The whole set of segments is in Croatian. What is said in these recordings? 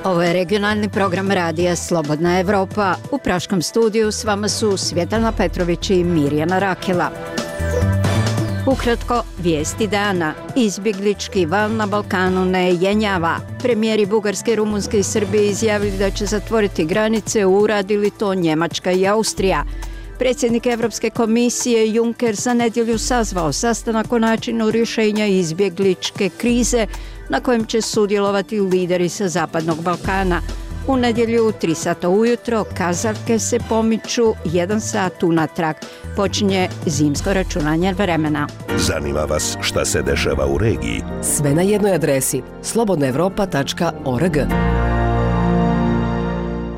Ovo je regionalni program radija Slobodna Evropa. U praškom studiju s vama su Svjetlana Petrović i Mirjana Rakela. Ukratko, vijesti dana. Izbjeglički val na Balkanu ne jenjava. Premijeri Bugarske, Rumunjske i Srbije izjavili da će zatvoriti granice, uradili to Njemačka i Austrija. Predsjednik Europske komisije Juncker za nedjelju sazvao sastanak o načinu rješenja izbjegličke krize na kojem će sudjelovati lideri sa Zapadnog Balkana. U nedjelju u 3 sata ujutro kazaljke se pomiču 1 sat unatrag. Počinje zimsko računanje vremena. Zanima vas šta se dešava u regiji? Sve na jednoj adresi slobodnaevropa.org.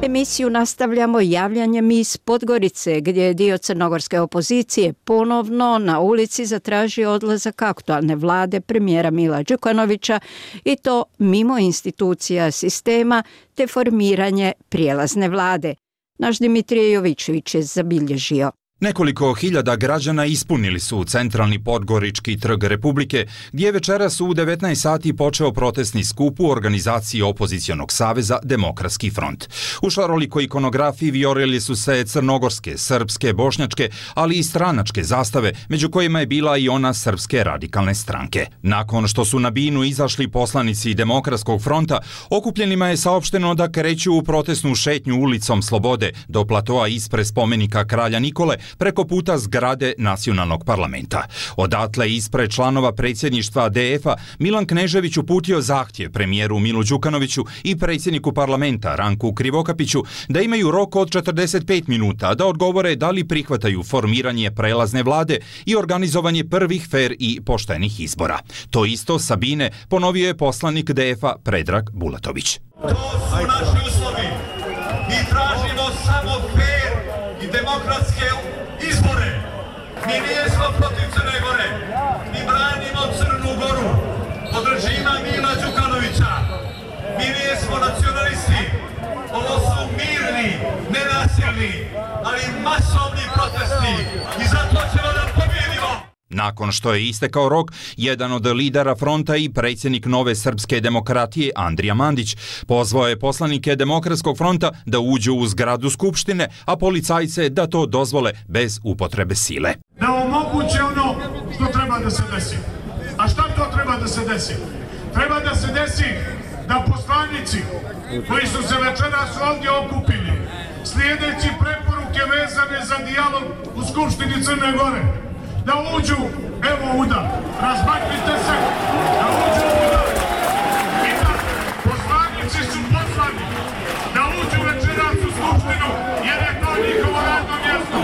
Emisiju nastavljamo javljanjem iz Podgorice, gdje je dio crnogorske opozicije ponovno na ulici zatražio odlazak aktualne vlade premijera Mila Đukanovića i to mimo institucija sistema te formiranje prijelazne vlade. Naš Dimitrije Jovičević je zabilježio. Nekoliko hiljada građana ispunili su centralni Podgorički trg Republike, gdje večeras u 19 sati počeo protestni skup u organizaciji opozicionog saveza Demokratski front. U šarolikoj ikonografiji vijorili su se crnogorske, srpske, bošnjačke, ali i stranačke zastave, među kojima je bila i ona Srpske radikalne stranke. Nakon što su na binu izašli poslanici Demokratskog fronta, okupljenima je saopšteno da kreću u protestnu šetnju ulicom Slobode do platoa ispred spomenika kralja Nikole, preko puta zgrade Nacionalnog parlamenta. Odatle ispred članova predsjedništva DF-a Milan Knežević uputio zahtjev premijeru Milu Đukanoviću i predsjedniku parlamenta Ranku Krivokapiću da imaju rok od 45 minuta da odgovore da li prihvataju formiranje prelazne vlade i organizovanje prvih fer i poštenih izbora. To isto Sabine ponovio je poslanik DF-a Predrag Bulatović. To su naši uslovi. Mi tražimo samo fer i demokratske izbore. Mi nismo protiv Crne Gore. Mi branimo Crnu Goru od režima Mila Đukanovića. Mi nismo nacionalisti. Ovo su mirni, nenasilni, ali masovni protesti i zato ćemo da pobjedimo. Nakon što je istekao rok, jedan od lidera fronta i predsjednik Nove srpske demokratije Andrija Mandić pozvao je poslanike Demokratskog fronta da uđu u zgradu Skupštine, a policajce da to dozvole bez upotrebe sile. Da omoguće ono što treba da se desi. A šta to treba da se desi? Treba da se desi da poslanici koji su se večeras ovdje okupili, slijedeći preporuke vezane za dijalog u Skupštini Crne Gore, da uđu, evo udar, razmaknite se, da uđu udar. I da poslanici su poslani da uđu večeras u Skupštinu jer je to njihovo radno mjesto,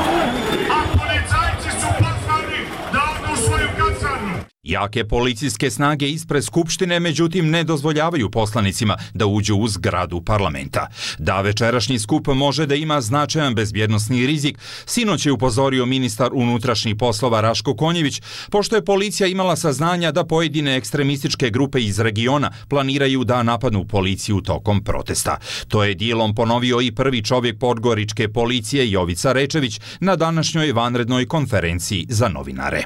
a policajci su poslani da odu u svoju kasarnu. Jake policijske snage ispred Skupštine međutim ne dozvoljavaju poslanicima da uđu u zgradu parlamenta. Da večerašnji skup može da ima značajan bezbjednosni rizik, sinoć je upozorio ministar unutrašnjih poslova Raško Konjević, pošto je policija imala saznanja da pojedine ekstremističke grupe iz regiona planiraju da napadnu policiju tokom protesta. To je dijelom ponovio i prvi čovjek podgoričke policije Jovica Rečević na današnjoj vanrednoj konferenciji za novinare.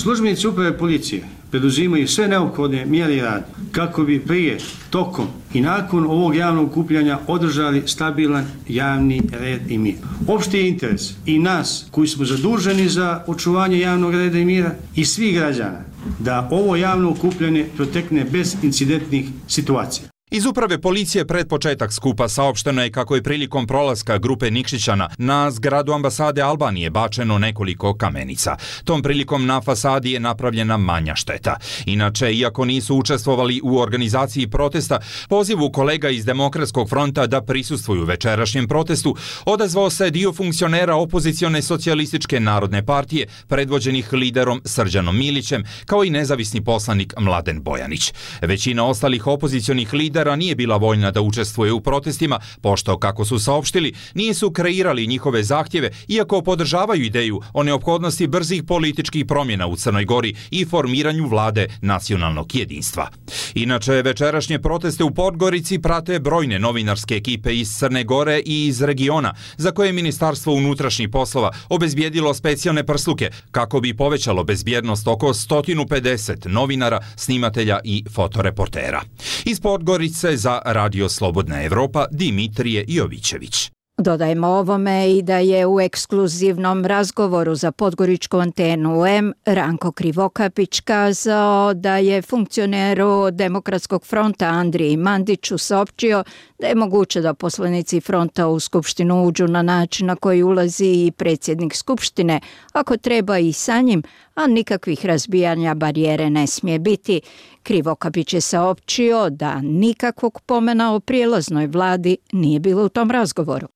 Službenici uprave policije preduzimaju sve neophodne mjere i rad kako bi prije, tokom i nakon ovog javnog okupljanja održali stabilan javni red i mir. Opšti je interes i nas koji smo zaduženi za očuvanje javnog reda i mira i svih građana da ovo javno okupljanje protekne bez incidentnih situacija. Iz uprave policije pred početak skupa saopšteno je kako je prilikom prolaska grupe Nikšićana na zgradu ambasade Albanije bačeno nekoliko kamenica. Tom prilikom na fasadi je napravljena manja šteta. Inače, iako nisu učestvovali u organizaciji protesta, pozivu kolega iz Demokratskog fronta da prisustvuju večerašnjem protestu odazvao se dio funkcionera opozicione socijalističke narodne partije predvođenih liderom Srđanom Milićem, kao i nezavisni poslanik Mladen Bojanić. Većina ostalih opozicionih lidera lidera nije bila voljna da učestvuje u protestima, pošto, kako su saopštili, nisu kreirali njihove zahtjeve, iako podržavaju ideju o neophodnosti brzih političkih promjena u Crnoj Gori i formiranju vlade nacionalnog jedinstva. Inače, večerašnje proteste u Podgorici prate brojne novinarske ekipe iz Crne Gore i iz regiona, za koje je Ministarstvo unutrašnjih poslova obezbijedilo specijalne prsluke kako bi povećalo bezbjednost oko 150 novinara, snimatelja i fotoreportera. Iz Podgorice za Radio Slobodna Evropa Dimitrije Jovićević. Dodajmo ovome i da je u ekskluzivnom razgovoru za Podgoričku antenu M Ranko Krivokapić kazao da je funkcioneru Demokratskog fronta Andriji Mandiću saopćio da je moguće da poslanici fronta u Skupštinu uđu na način na koji ulazi i predsjednik Skupštine, ako treba i sa njim, a nikakvih razbijanja barijere ne smije biti. Krivokapić je saopćio da nikakvog pomena o prijelaznoj vladi nije bilo u tom razgovoru.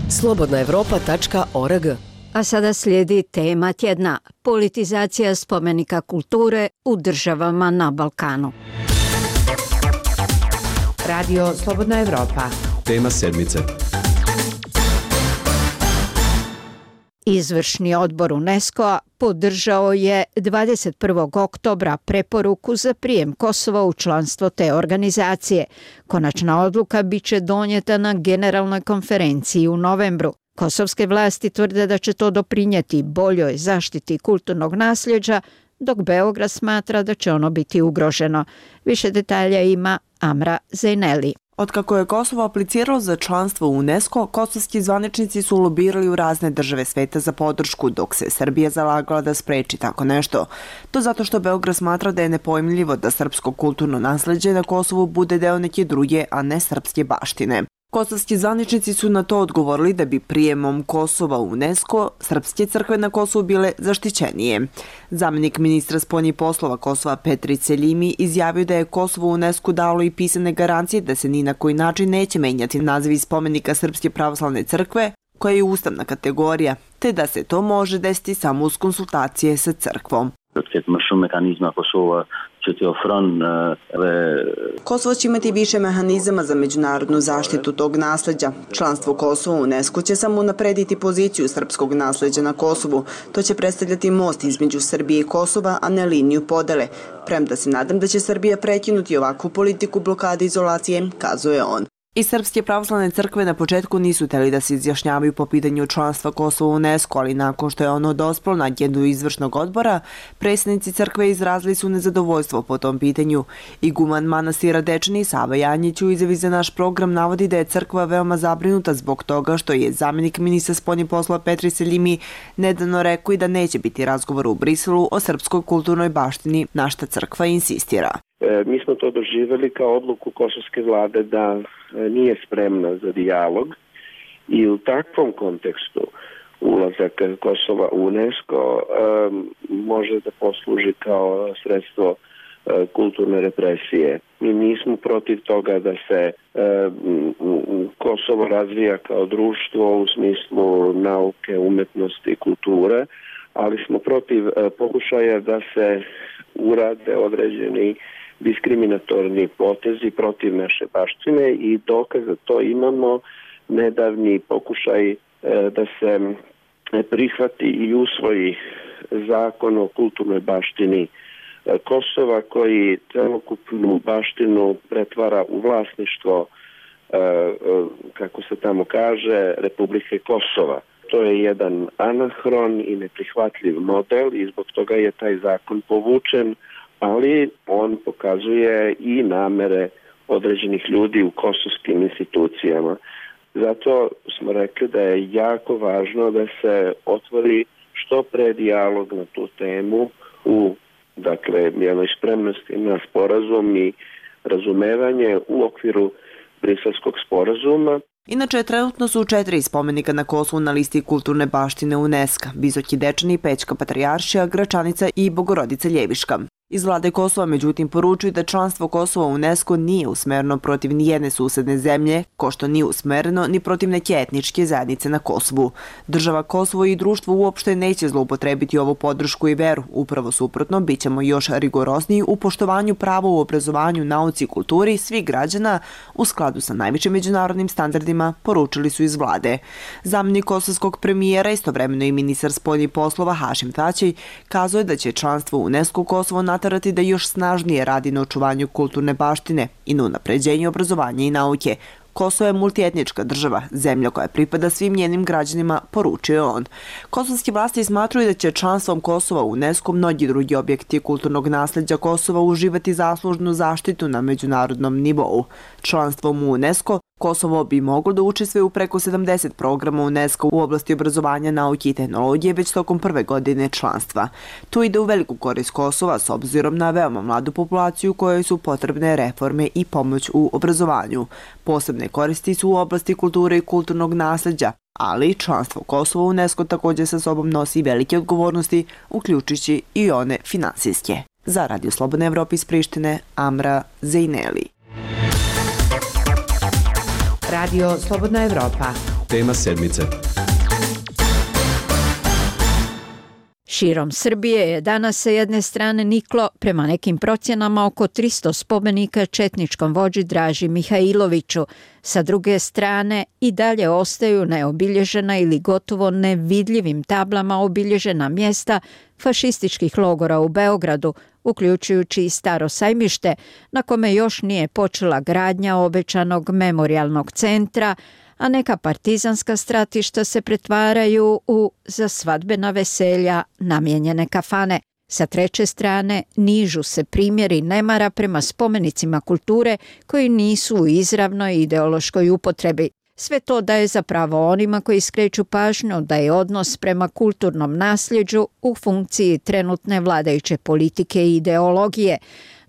slobodnaevropa.org. A sada slijedi tema tjedna: politizacija spomenika kulture u državama na Balkanu. Radio Slobodna Evropa. Tema sedmice. Izvršni odbor UNESCO-a podržao je 21. oktobra preporuku za prijem Kosova u članstvo te organizacije. Konačna odluka biće donijeta na generalnoj konferenciji u novembru. Kosovske vlasti tvrde da će to doprinijeti boljoj zaštiti kulturnog nasljeđa, dok Beograd smatra da će ono biti ugroženo. Više detalja ima Amra Zejneli. Otkako je Kosovo apliciralo za članstvo u UNESCO, kosovski zvaničnici su lobirali u razne države sveta za podršku, dok se Srbija zalagala da spreči tako nešto. To zato što Beograd smatra da je nepojmljivo da srpsko kulturno nasleđe na Kosovu bude deo neke druge, a ne srpske baštine. Kosovski zvaničnici su na to odgovorili da bi prijemom Kosova u UNESCO srpske crkve na Kosovu bile zaštićenije. Zamjenik ministra spoljnih poslova Kosova Petri Seljimi izjavio da je Kosovo u UNESCO dalo i pisane garancije da se ni na koji način neće menjati naziv spomenika Srpske pravoslavne crkve, koja je ustavna kategorija, te da se to može desiti samo uz konsultacije sa crkvom. Kosovo će imati više mehanizama za međunarodnu zaštitu tog nasleđa. Članstvo Kosova u UNESCO će samo unaprediti poziciju srpskog nasleđa na Kosovu. To će predstavljati most između Srbije i Kosova, a ne liniju podele. Premda se nadam da će Srbija prekinuti ovakvu politiku blokade izolacije, kazuje on. I Srpske pravoslavne crkve na početku nisu hteli da se izjašnjavaju po pitanju članstva Kosova u UNESCO, ali nakon što je ono dospelo na agendu izvršnog odbora, predsjednici crkve izrazili su nezadovoljstvo po tom pitanju. Iguman manastira Dečani Sava Janjić u izjavi za naš program navodi da je crkva veoma zabrinuta zbog toga što je zamjenik ministra spoljnih poslova Petri Seljimi nedavno rekao i da neće biti razgovor u Briselu o srpskoj kulturnoj baštini, na šta crkva insistira. Mi smo to doživjeli kao odluku kosovske vlade da nije spremna za dijalog i u takvom kontekstu ulazak Kosova u UNESCO može da posluži kao sredstvo kulturne represije. Mi nismo protiv toga da se Kosovo razvija kao društvo u smislu nauke, umetnosti i kulture, ali smo protiv pokušaja da se urade određeni diskriminatorni potezi protiv naše baštine i dokaz za to imamo nedavni pokušaj da se prihvati i usvoji zakon o kulturnoj baštini Kosova koji celokupnu baštinu pretvara u vlasništvo, kako se tamo kaže, Republike Kosova. To je jedan anahron i neprihvatljiv model i zbog toga je taj zakon povučen, ali on pokazuje i namere određenih ljudi u kosovskim institucijama. Zato smo rekli da je jako važno da se otvori što pre dijalog na tu temu u jednoj spremnosti na sporazum i razumevanje u okviru Briselskog sporazuma. Inače, trenutno su 4 spomenika na Kosovu na listi kulturne baštine UNESCO: Visoki Dečani, Pećka Patrijaršija, Gračanica i Bogorodica Ljeviška. Iz vlade Kosova međutim poručuju da članstvo Kosova u UNESCO nije usmereno protiv nijedne susedne zemlje, ko što nije usmereno ni protiv neke etničke zajednice na Kosovu. Država Kosovo i društvo uopšte neće zloupotrebiti ovu podršku i veru. Upravo suprotno, bit ćemo još rigorozniji u poštovanju prava u obrazovanju, nauci i kulturi svih građana u skladu sa najvišim međunarodnim standardima, poručili su iz vlade. Zamjenik kosovskog premijera, istovremeno i ministar spoljnih poslova Hašim Tači, kazao je da će članstvo u UNESCO Kosovo naterati da još snažnije radi na očuvanju kulturne baštine i na unapređenju obrazovanja i nauke. Kosovo je multietnička država, zemlja koja pripada svim njenim građanima, poručio je on. Kosovski vlasti smatruju da će članstvom Kosova u UNESCO mnogi drugi objekti kulturnog nasleđa Kosova uživati zaslužnu zaštitu na međunarodnom nivou. Članstvom u UNESCO Kosovo bi moglo da učestvuje u preko 70 programa UNESCO u oblasti obrazovanja, nauke i tehnologije već tokom prve godine članstva. To ide u veliku korist Kosova s obzirom na veoma mladu populaciju kojoj su potrebne reforme i pomoć u obrazovanju. Posebne koristi su u oblasti kulture i kulturnog nasleđa, ali članstvo Kosova u UNESCO također sa sobom nosi velike odgovornosti, uključujući i one finansijske. Za Radio Slobodna Evropa iz Prištine, Amra Zejneli. Radio Slobodna Evropa. Tema sedmice. Širom Srbije je danas sa jedne strane niklo, prema nekim procjenama, oko 300 spomenika četničkom vođi Draži Mihajloviću. Sa druge strane i dalje ostaju neobilježena ili gotovo nevidljivim tablama obilježena mjesta fašističkih logora u Beogradu, uključujući i Staro sajmište, na kome još nije počela gradnja obećanog memorijalnog centra, a neka partizanska stratišta se pretvaraju u za svadbena veselja namijenjene kafane. Sa treće strane nižu se primjeri nemara prema spomenicima kulture koji nisu u izravnoj ideološkoj upotrebi. Sve to daje zapravo onima koji skreću pažnju da je odnos prema kulturnom nasljeđu u funkciji trenutne vladajuće politike i ideologije.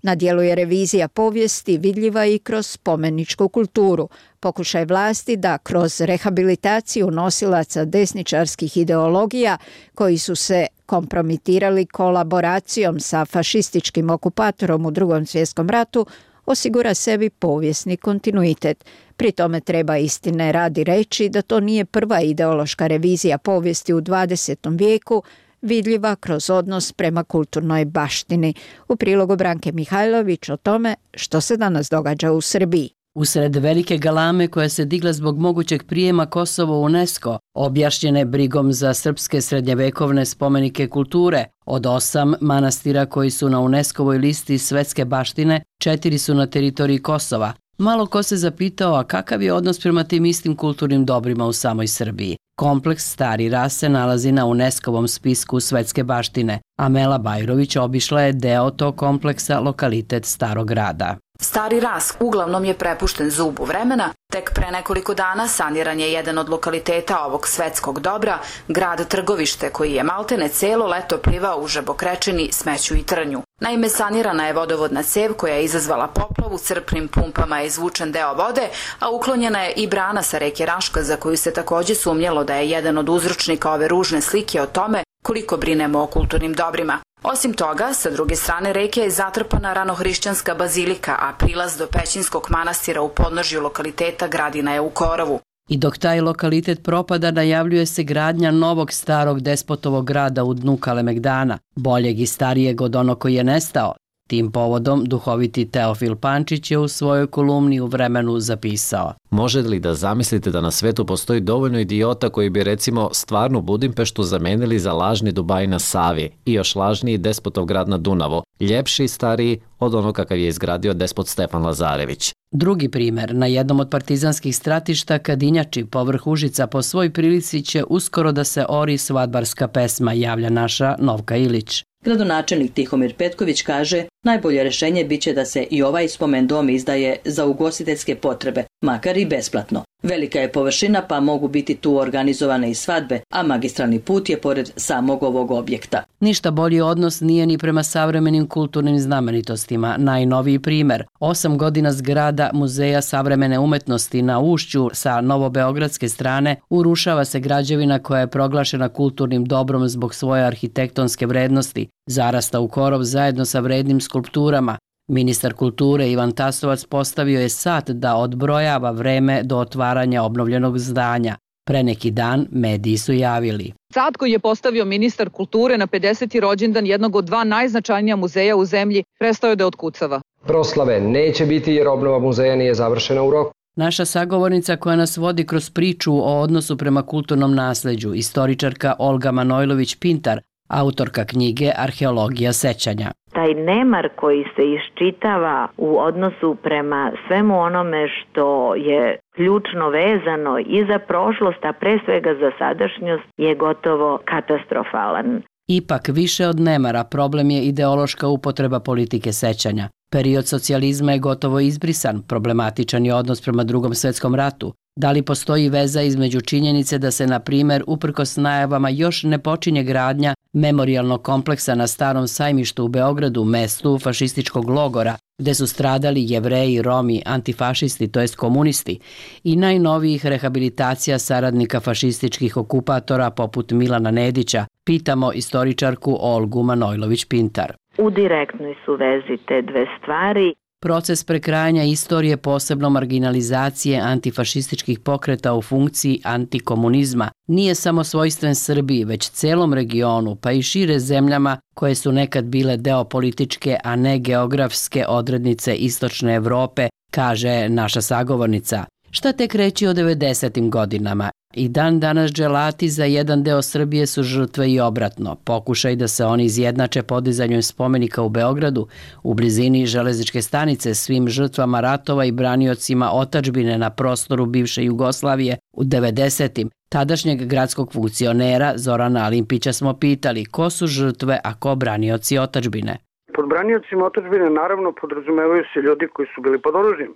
Na dijelu je revizija povijesti vidljiva i kroz spomeničku kulturu. Pokušaj vlasti da kroz rehabilitaciju nosilaca desničarskih ideologija koji su se kompromitirali kolaboracijom sa fašističkim okupatorom u Drugom svjetskom ratu osigura sebi povijesni kontinuitet. Pri tome treba istine radi reći da to nije prva ideološka revizija povijesti u 20. vijeku, vidljiva kroz odnos prema kulturnoj baštini. U prilogu Branke Mihajlović o tome što se danas događa u Srbiji. Usred velike galame koja se digla zbog mogućeg prijema Kosova u UNESCO, objašnjene brigom za srpske srednjevekovne spomenike kulture, od 8 manastira koji su na UNESCO-voj listi svetske baštine, 4 su na teritoriji Kosova. Malo ko se zapitao, a kakav je odnos prema tim istim kulturnim dobrima u samoj Srbiji. Kompleks Stari Ras se nalazi na UNESCO-vom spisku svetske baštine. Amela Bajrović obišla je deo tog kompleksa, lokalitet Starog Rada. Stari Ras uglavnom je prepušten zubu vremena. Tek pre nekoliko dana saniran je jedan od lokaliteta ovog svetskog dobra, grad Trgovište, koji je maltene celo leto plivao u žabokrečini, smeću i trnju. Naime, sanirana je vodovodna cev koja je izazvala poplavu, crpnim pumpama je izvučen deo vode, a uklonjena je i brana sa reke Raška, za koju se također sumnjalo da je jedan od uzročnika ove ružne slike o tome koliko brinemo o kulturnim dobrima. Osim toga, sa druge strane reke je zatrpana ranohrišćanska bazilika, a prilaz do Pećinskog manastira u podnožju lokaliteta Gradina je u korovu. I dok taj lokalitet propada, najavljuje se gradnja novog starog despotovog grada u dnu Kalemegdana, boljeg i starijeg od onog koji je nestao. Tim povodom duhoviti Teofil Pančić je u svojoj kolumni u Vremenu zapisao: Može li da zamislite da na svetu postoji dovoljno idiota koji bi recimo stvarnu Budimpeštu zamenili za lažni Dubaj na Savi i još lažniji despotov grad na Dunavu, ljepši i stariji od onog kakav je izgradio despot Stefan Lazarević. Drugi primjer, na jednom od partizanskih stratišta Kadinjači povrh Užica po svoj prilici će uskoro da se ori svadbarska pesma, javlja naša Novka Ilić. Gradonačelnik Tihomir Petković kaže, najbolje rješenje biće da se i ovaj spomen dom izdaje za ugostiteljske potrebe, makar i besplatno. Velika je površina pa mogu biti tu organizovane i svadbe, a magistralni put je pored samog ovog objekta. Ništa bolji odnos nije ni prema savremenim kulturnim znamenitostima. Najnoviji primjer, 8 godina zgrada Muzeja savremene umetnosti na Ušću sa novobeogradske strane urušava se građevina koja je proglašena kulturnim dobrom zbog svoje arhitektonske vrednosti. zarasta u korov zajedno sa vrednim skulpturama. Ministar kulture Ivan Tasovac postavio je sat da odbrojava vreme do otvaranja obnovljenog zdanja. Pre neki dan mediji su javili. Sat koji je postavio ministar kulture na 50. rođendan jednog od 2 najznačajnija muzeja u zemlji prestao je da otkucava. Proslave neće biti jer obnova muzeja nije završena u roku. Naša sagovornica koja nas vodi kroz priču o odnosu prema kulturnom nasleđu, istoričarka Olga Manojlović-Pintar, autorka knjige Arheologija sećanja. Taj nemar koji se iščitava u odnosu prema svemu onome što je ključno vezano i za prošlost, a pre svega za sadašnjost, je gotovo katastrofalan. Ipak, više od nemara, problem je ideološka upotreba politike sećanja. Period socijalizma je gotovo izbrisan, problematičan je odnos prema Drugom svetskom ratu. Da li postoji veza između činjenice da se, na primjer, uprkos najavama još ne počinje gradnja memorijalnog kompleksa na Starom sajmištu u Beogradu, mestu fašističkog logora, gde su stradali Jevreji, Romi, antifašisti, to jest komunisti, i najnovijih rehabilitacija saradnika fašističkih okupatora poput Milana Nedića, pitamo istoričarku Olgu Manojlović-Pintar. U direktnoj su vezi te dve stvari. Proces prekrajanja istorije, posebno marginalizacije antifašističkih pokreta u funkciji antikomunizma, nije samo svojstven Srbiji, već celom regionu, pa i šire zemljama koje su nekad bile deo političke, a ne geografske odrednice istočne Evrope, kaže naša sagovornica. Šta tek reći o 90. godinama? I dan danas dželati za jedan deo Srbije su žrtve i obratno. Pokušaj da se oni izjednače podizanjem spomenika u Beogradu, u blizini železničke stanice, svim žrtvama ratova i braniocima otadžbine na prostoru bivše Jugoslavije u 90. Tadašnjeg gradskog funkcionera Zorana Alimpića smo pitali ko su žrtve, a ko branioci otadžbine. Pod braniocima otadžbine naravno podrazumevaju se ljudi koji su bili pod oružjem,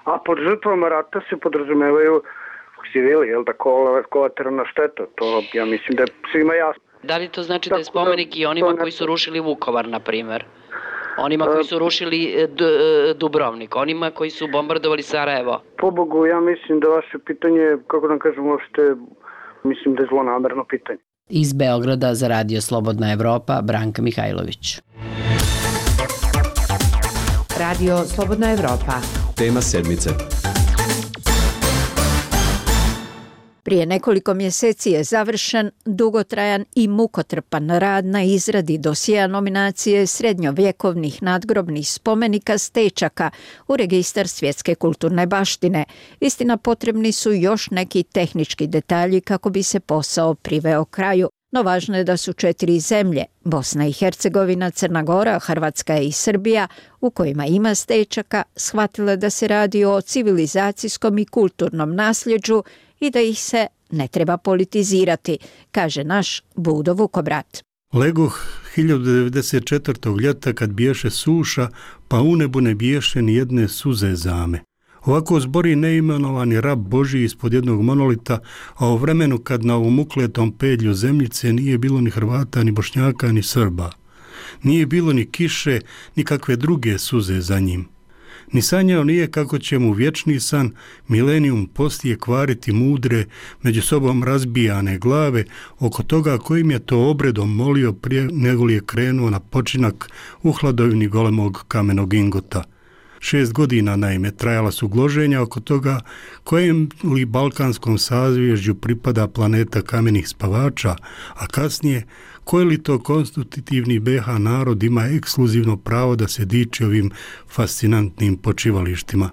a pod žrtvama rata se podrazumevaju civili, jel da, kolateralna šteta, to ja mislim da je svima jasno. Da li to znači da je spomenik i onima koji su rušili Vukovar, na primjer? Onima koji su rušili Dubrovnik, onima koji su bombardovali Sarajevo? Pobogu, ja mislim da vaše pitanje, kako da kažem, uopšte, mislim da je zlonamerno pitanje. Iz Beograda za Radio Slobodna Evropa, Branka Mihajlović. Radio Slobodna Evropa. Tema sedmice. Prije nekoliko mjeseci je završen dugotrajan i mukotrpan rad na izradi dosjea nominacije srednjovjekovnih nadgrobnih spomenika stečaka u registar svjetske kulturne baštine. Istina, potrebni su još neki tehnički detalji kako bi se posao priveo kraju. No važno je da su 4 zemlje, Bosna i Hercegovina, Crna Gora, Hrvatska i Srbija, u kojima ima stečaka, shvatile da se radi o civilizacijskom i kulturnom nasljeđu i da ih se ne treba politizirati, kaže naš Budo Vukobrat. Legoh 1094. ljeta kad biješe suša, pa u nebu ne biješe ni jedne suze zame. Ovako zbori neimenovani rab Božji ispod jednog monolita, a u vremenu kad na ovom ukletom pedlju zemljice nije bilo ni Hrvata, ni Bošnjaka, ni Srba. Nije bilo ni kiše, ni kakve druge suze za njim. Ni sanjao nije kako će mu vječni san milenijum poslije kvariti mudre, među sobom razbijane glave oko toga kojim je to obredom molio prije nego li je krenuo na počinak u hladovini golemog kamenog ingota. 6 godina naime trajala su gloženja oko toga kojem li balkanskom sazvježđu pripada planeta kamenih spavača, a kasnije koji li to konstitutivni BH narod ima ekskluzivno pravo da se diči ovim fascinantnim počivalištima.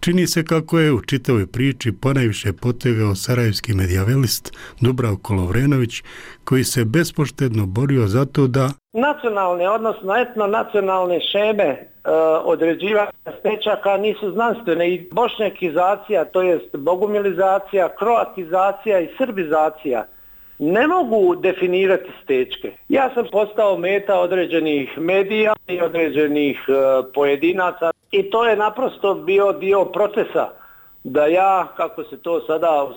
Čini se kako je u čitavoj priči ponajviše potegao sarajevski medijavelist Dubravko Lovrenović, koji se bespoštedno borio za to da nacionalne, odnosno etnonacionalne šeme određivanja stečaka nisu znanstvene i bošnjakizacija, to jest bogumilizacija, kroatizacija i srbizacija ne mogu definirati stečke. Ja sam postao meta određenih medija i određenih pojedinaca i to je naprosto bio dio procesa da ja, kako se to sada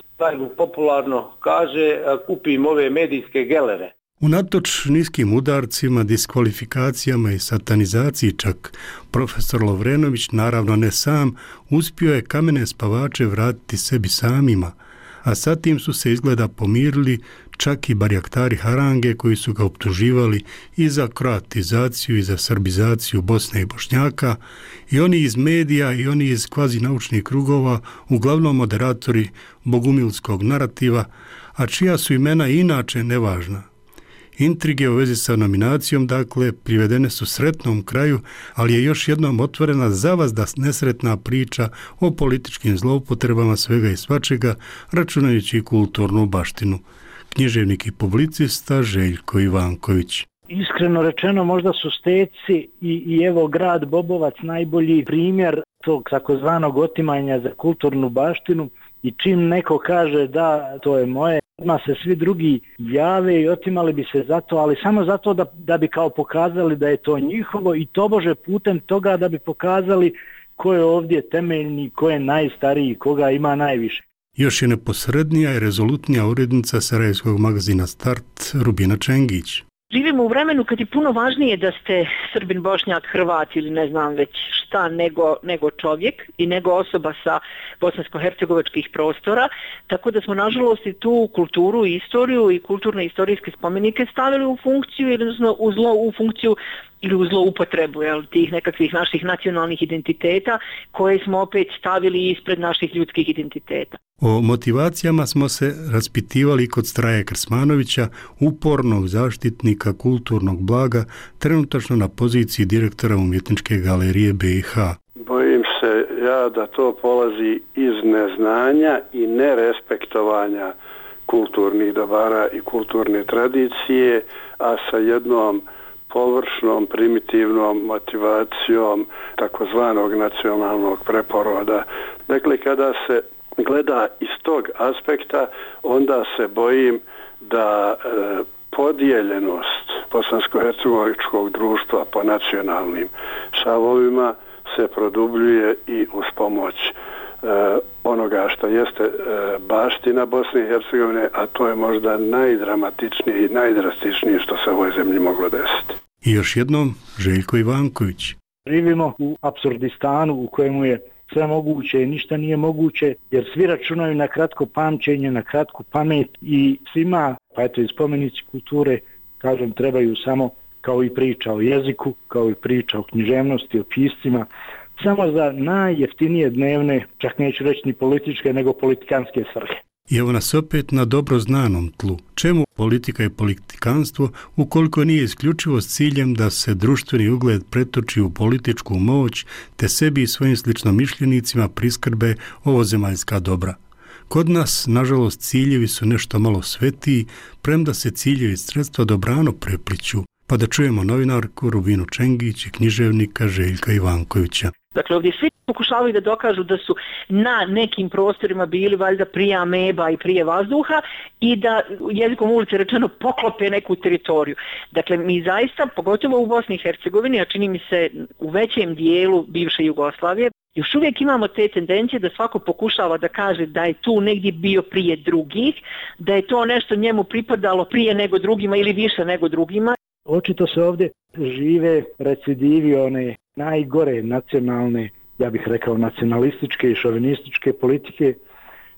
popularno kaže, kupim ove medijske gelere. Unatoč niskim udarcima, diskvalifikacijama i satanizaciji čak, profesor Lovrenović, naravno ne sam, uspio je kamene spavače vratiti sebi samima, a sa tim su se izgleda pomirili čak i barjaktari Harange koji su ga optuživali i za kroatizaciju i za srbizaciju Bosne i Bošnjaka, i oni iz medija i oni iz kvazi naučnih krugova, uglavnom moderatori bogumilskog narativa, a čija su imena inače nevažna. Intrige u vezi sa nominacijom, dakle, privedene su sretnom kraju, ali je još jednom otvorena zavazda nesretna priča o političkim zloupotrebama svega i svačega, računajući i kulturnu baštinu. Književnik i publicista Željko Ivanković. Iskreno rečeno, možda su Steci i evo grad Bobovac najbolji primjer tog takozvanog otimanja za kulturnu baštinu, i čim neko kaže da to je moje, odmah se svi drugi jave i otimali bi se za to, ali samo zato da bi kao pokazali da je to njihovo, i tobože putem toga da bi pokazali ko je ovdje temeljni, ko je najstariji, koga ima najviše. Još je neposrednija i rezolutnija urednica sarajevskog magazina Start Rubina Čengić. Živimo u vremenu kad je puno važnije da ste Srbin, Bošnjak, Hrvat ili ne znam već šta nego čovjek i nego osoba sa bosansko-hercegovačkih prostora, tako da smo nažalost i tu kulturu i istoriju i kulturne istorijske spomenike stavili u funkciju ili u zloupotrebu tih nekakvih naših nacionalnih identiteta koje smo opet stavili ispred naših ljudskih identiteta. O motivacijama smo se raspitivali kod Straje Krsmanovića, upornog zaštitnika kulturnog blaga, trenutačno na poziciji direktora Umjetničke galerije BiH. Bojim se ja da to polazi iz neznanja i nerespektovanja kulturnih dobara i kulturne tradicije, a sa jednom površnom, primitivnom motivacijom takozvanog nacionalnog preporoda. Dakle, kada se gleda iz tog aspekta, onda se bojim da podijeljenost bosansko-hercegovačkog društva po nacionalnim šavovima se produbljuje i uz pomoć onoga što jeste baština Bosne i Hercegovine, a to je možda najdramatičnije i najdrastičnije što se u ovoj zemlji moglo desiti. I još jednom Željko Ivanković. Živimo u apsurdistanu u kojemu je sve moguće i ništa nije moguće, jer svi računaju na kratko pamćenje, na kratku pamet, i svima, pa eto i spomenici kulture, kažem, trebaju samo, kao i priča o jeziku, kao i priča o književnosti, o piscima, samo za najjeftinije dnevne, čak neću reći ni političke, nego politikanske svrhe. I evo nas opet na dobro znanom tlu. Čemu politika i politikanstvo ukoliko nije isključivo s ciljem da se društveni ugled pretoči u političku moć te sebi i svojim sličnomišljenicima priskrbe ovozemaljska dobra? Kod nas, nažalost, ciljevi su nešto malo svetiji, premda se ciljevi sredstva dobrano prepliću. Pa da čujemo novinarku Rubinu Čengić i književnika Željka Ivankovića. Dakle, ovdje svi pokušavaju da dokažu da su na nekim prostorima bili valjda prije ameba i prije vazduha i da, jezikom ulice rečeno, poklope neku teritoriju. Dakle, mi zaista, pogotovo u Bosni i Hercegovini, a čini mi se u većem dijelu bivše Jugoslavije, još uvijek imamo te tendencije da svako pokušava da kaže da je tu negdje bio prije drugih, da je to nešto njemu pripadalo prije nego drugima ili više nego drugima. Očito se ovdje žive recidivi one najgore nacionalne, ja bih rekao nacionalističke i šovinističke politike,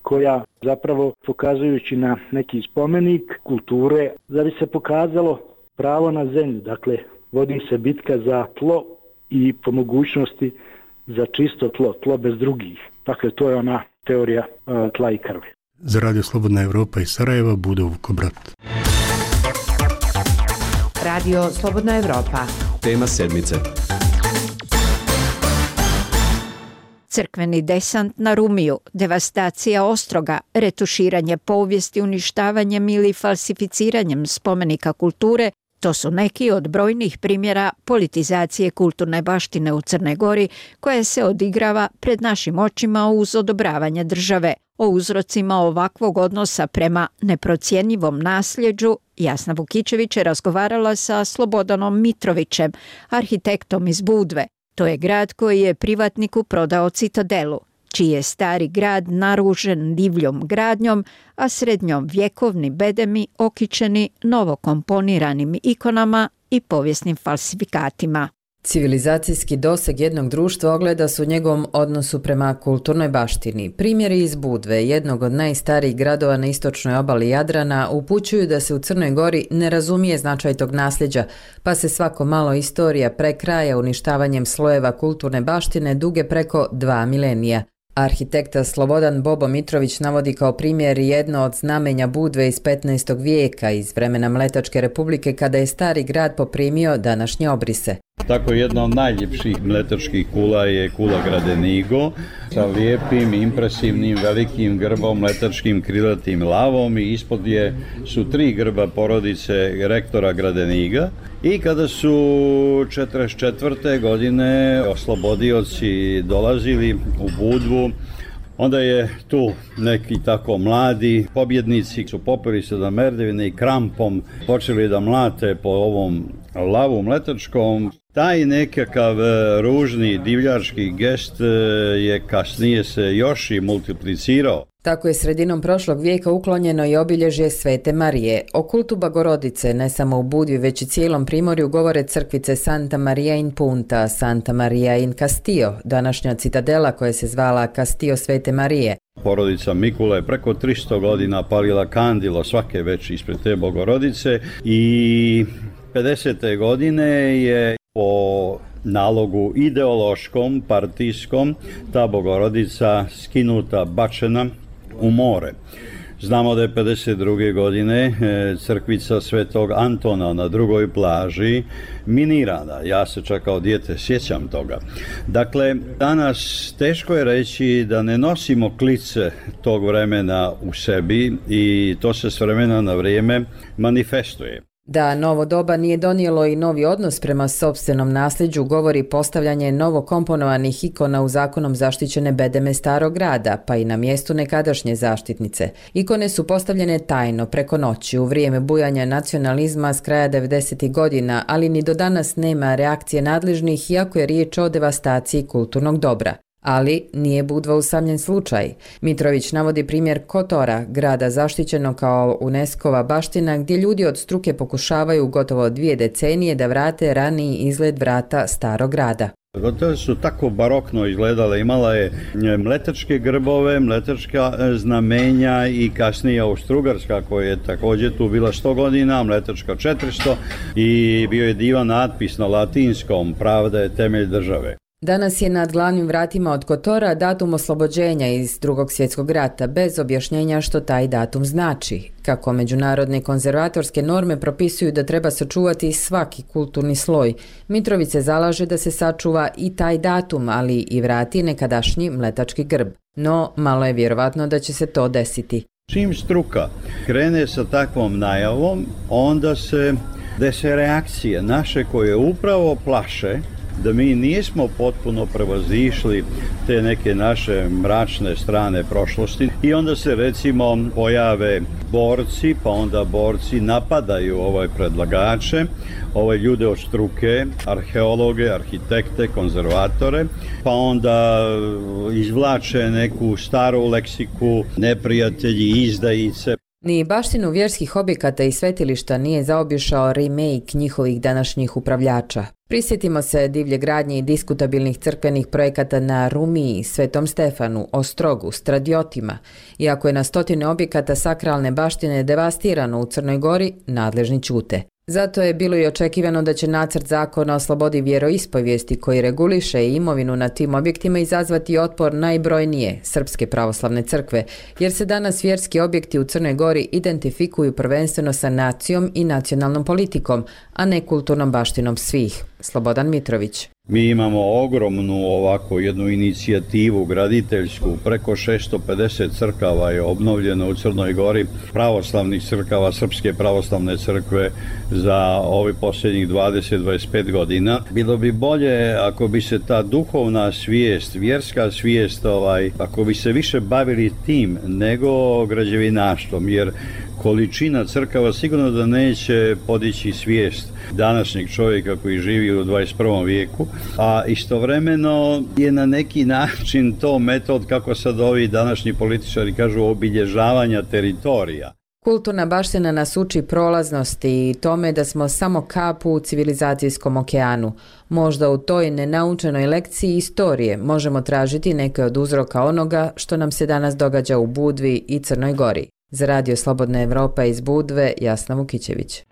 koja zapravo, pokazujući na neki spomenik kulture, da bi se pokazalo pravo na zemlju. Dakle, vodi se bitka za tlo i po mogućnosti za čisto tlo, tlo bez drugih. Dakle, to je ona teorija tla i krvi. Za Radio Slobodna Evropa iz Sarajeva, Budo Vukobrat. Radio Slobodna Evropa. Tema sedmice. Crkveni desant na Rumiju, devastacija Ostroga, retuširanje povijesti uništavanjem ili falsificiranjem spomenika kulture, to su neki od brojnih primjera politizacije kulturne baštine u Crnoj Gori koja se odigrava pred našim očima uz odobravanje države. O uzrocima ovakvog odnosa prema neprocjenjivom nasljeđu Jasna Vukičević je razgovarala sa Slobodanom Mitrovićem, arhitektom iz Budve. To je grad koji je privatniku prodao Citadelu, čiji je stari grad naružen divljom gradnjom, a srednjovjekovni bedemi okićeni novokomponiranim ikonama i povijesnim falsifikatima. Civilizacijski doseg jednog društva ogleda se u njegovom odnosu prema kulturnoj baštini. Primjeri iz Budve, jednog od najstarijih gradova na istočnoj obali Jadrana, upućuju da se u Crnoj Gori ne razumije značaj tog nasljeđa, pa se svako malo istorija prekraja uništavanjem slojeva kulturne baštine duge preko 2 milenija. Arhitekta Slobodan Bobo Mitrović navodi kao primjer jedno od znamenja Budve iz 15. vijeka, iz vremena Mletačke republike, kada je stari grad poprimio današnje obrise. Tako jedna od najljepših mletačkih kula je kula Gradenigo sa lijepim, impresivnim, velikim grbom, mletačkim krilatim lavom i ispod su 3 grba porodice rektora Gradeniga. I kada su 1944. godine oslobodioci dolazili u Budvu, onda je tu neki tako mladi pobjednici su popeli se da merdevine i krampom počeli da mlate po ovom lavu mletačkom. Taj nekakav ružni divljački gest je kasnije se još i multiplicirao. Tako je sredinom prošlog vijeka uklonjeno i obilježje Svete Marije. O kultu Bogorodice ne samo u Budvi, već i cijelom Primorju govore crkvice Santa Maria in Punta, Santa Maria in Castillo, današnja citadela koja se zvala Castillo Svete Marije. Porodica Mikula je preko 300 godina palila kandilo svake veći ispred te Bogorodice i 50. godine je po nalogu ideološkom, partijskom, ta Bogorodica skinuta, bačena u more. Znamo da je 52. godine crkvica Svetog Antona na drugoj plaži minirana. Ja se čak kao dijete sjećam toga. Dakle, danas teško je reći da ne nosimo klice tog vremena u sebi i to se s vremena na vrijeme manifestuje. Da novo doba nije donijelo i novi odnos prema sopstvenom nasljeđu govori postavljanje novo komponovanih ikona u zakonom zaštićene bedeme Starog grada, pa i na mjestu nekadašnje zaštitnice. Ikone su postavljene tajno, preko noći, u vrijeme bujanja nacionalizma s kraja 90. godina, ali ni do danas nema reakcije nadležnih, iako je riječ o devastaciji kulturnog dobra. Ali nije Budva usamljen slučaj. Mitrović navodi primjer Kotora, grada zaštićenog kao UNESCO-va baština, gdje ljudi od struke pokušavaju gotovo 2 decenije da vrate raniji izgled vrata Starog grada. To su tako barokno izgledale, imala je mletačke grbove, mletačka znamenja i kasnije Austrougarska koja je također tu bila 100 godina, mletačka 400 i bio je divan natpis na latinskom, pravda je temelj države. Danas je nad glavnim vratima od Kotora datum oslobođenja iz Drugog svjetskog rata, bez objašnjenja što taj datum znači. Kako međunarodne konzervatorske norme propisuju da treba sačuvati svaki kulturni sloj, Mitrović se zalaže da se sačuva i taj datum, ali i vrati nekadašnji mletački grb. No, malo je vjerovatno da će se to desiti. Čim struka krene sa takvom najavom, onda se dese reakcije naše koje upravo plaše da mi nismo potpuno prevazišli te neke naše mračne strane prošlosti i onda se recimo pojave borci, pa onda borci napadaju predlagače, ljude od struke, arheologe, arhitekte, konzervatore, pa onda izvlače neku staru leksiku, neprijatelji, izdajice. Ni baštinu vjerskih objekata i svetilišta nije zaobišao remake njihovih današnjih upravljača. Prisjetimo se divlje gradnje i diskutabilnih crkvenih projekata na Rumiji, Svetom Stefanu, Ostrogu, Stradiotima. Iako je na stotine objekata sakralne baštine devastirano u Crnoj Gori, nadležni ćute. Zato je bilo i očekivano da će nacrt zakona o slobodi vjeroispovijesti koji reguliše imovinu na tim objektima izazvati otpor najbrojnije Srpske pravoslavne crkve, jer se danas vjerski objekti u Crnoj Gori identifikuju prvenstveno sa nacijom i nacionalnom politikom, a ne kulturnom baštinom svih. Slobodan Mitrović. Mi imamo ogromnu ovako jednu inicijativu graditeljsku, preko 650 crkava je obnovljeno u Crnoj Gori, pravoslavnih crkava, Srpske pravoslavne crkve za ovi posljednjih 20-25 godina. Bilo bi bolje ako bi se ta duhovna svijest, vjerska svijest, ako bi se više bavili tim nego građevinaštvom, jer količina crkava sigurno da neće podići svijest današnjeg čovjeka koji živi u 21. vijeku, a istovremeno je na neki način to metod, kako sad ovi današnji političari kažu, obilježavanja teritorija. Kulturna baština nas uči prolaznosti i tome da smo samo kap u civilizacijskom okeanu. Možda u toj nenaučenoj lekciji istorije možemo tražiti neke od uzroka onoga što nam se danas događa u Budvi i Crnoj Gori. Za Radio Slobodna Evropa iz Budve, Jasna Vukićević.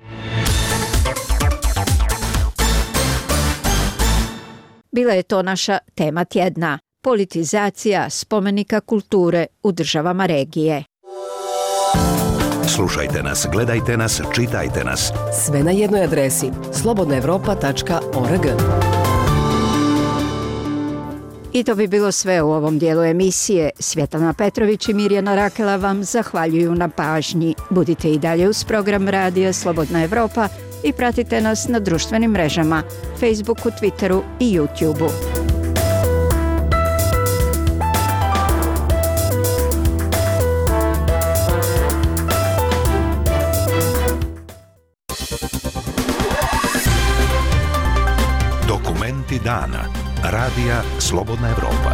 Bila je to naša tema tjedna. Politizacija spomenika kulture u državama regije. Slušajte nas, gledajte nas, čitajte nas. Sve na jednoj adresi slobodnaevropa.org. I to bi bilo sve u ovom dijelu emisije. Svjetlana Petrović i Mirjana Rakela vam zahvaljuju na pažnji. Budite i dalje uz program Radija Slobodna Evropa i pratite nas na društvenim mrežama, Facebooku, Twitteru i YouTubeu. Dokumenti dana. Radija Slobodna Evropa.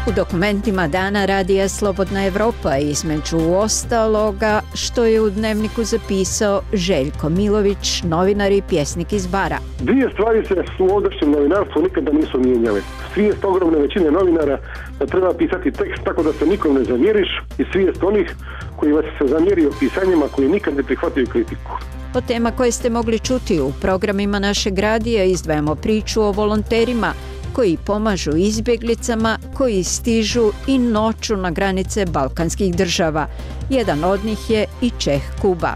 U dokumentima dana Radija Slobodna Evropa između ostaloga što je u dnevniku zapisao Željko Milović, novinar i pjesnik iz Bara. Dvije stvari se u ovdašnjem novinarstvu nikada nisu mijenjale. Svijest ogromne većine novinara da treba pisati tekst tako da se nikom ne zamjeriš i svijest onih koji vas se zamjerio pisanjima koji nikad ne prihvataju kritiku. Od tema koje ste mogli čuti u programima našeg radija izdvajamo priču o volonterima koji pomažu izbjeglicama koji stižu i noću na granice balkanskih država. Jedan od njih je i Čeh Kuba.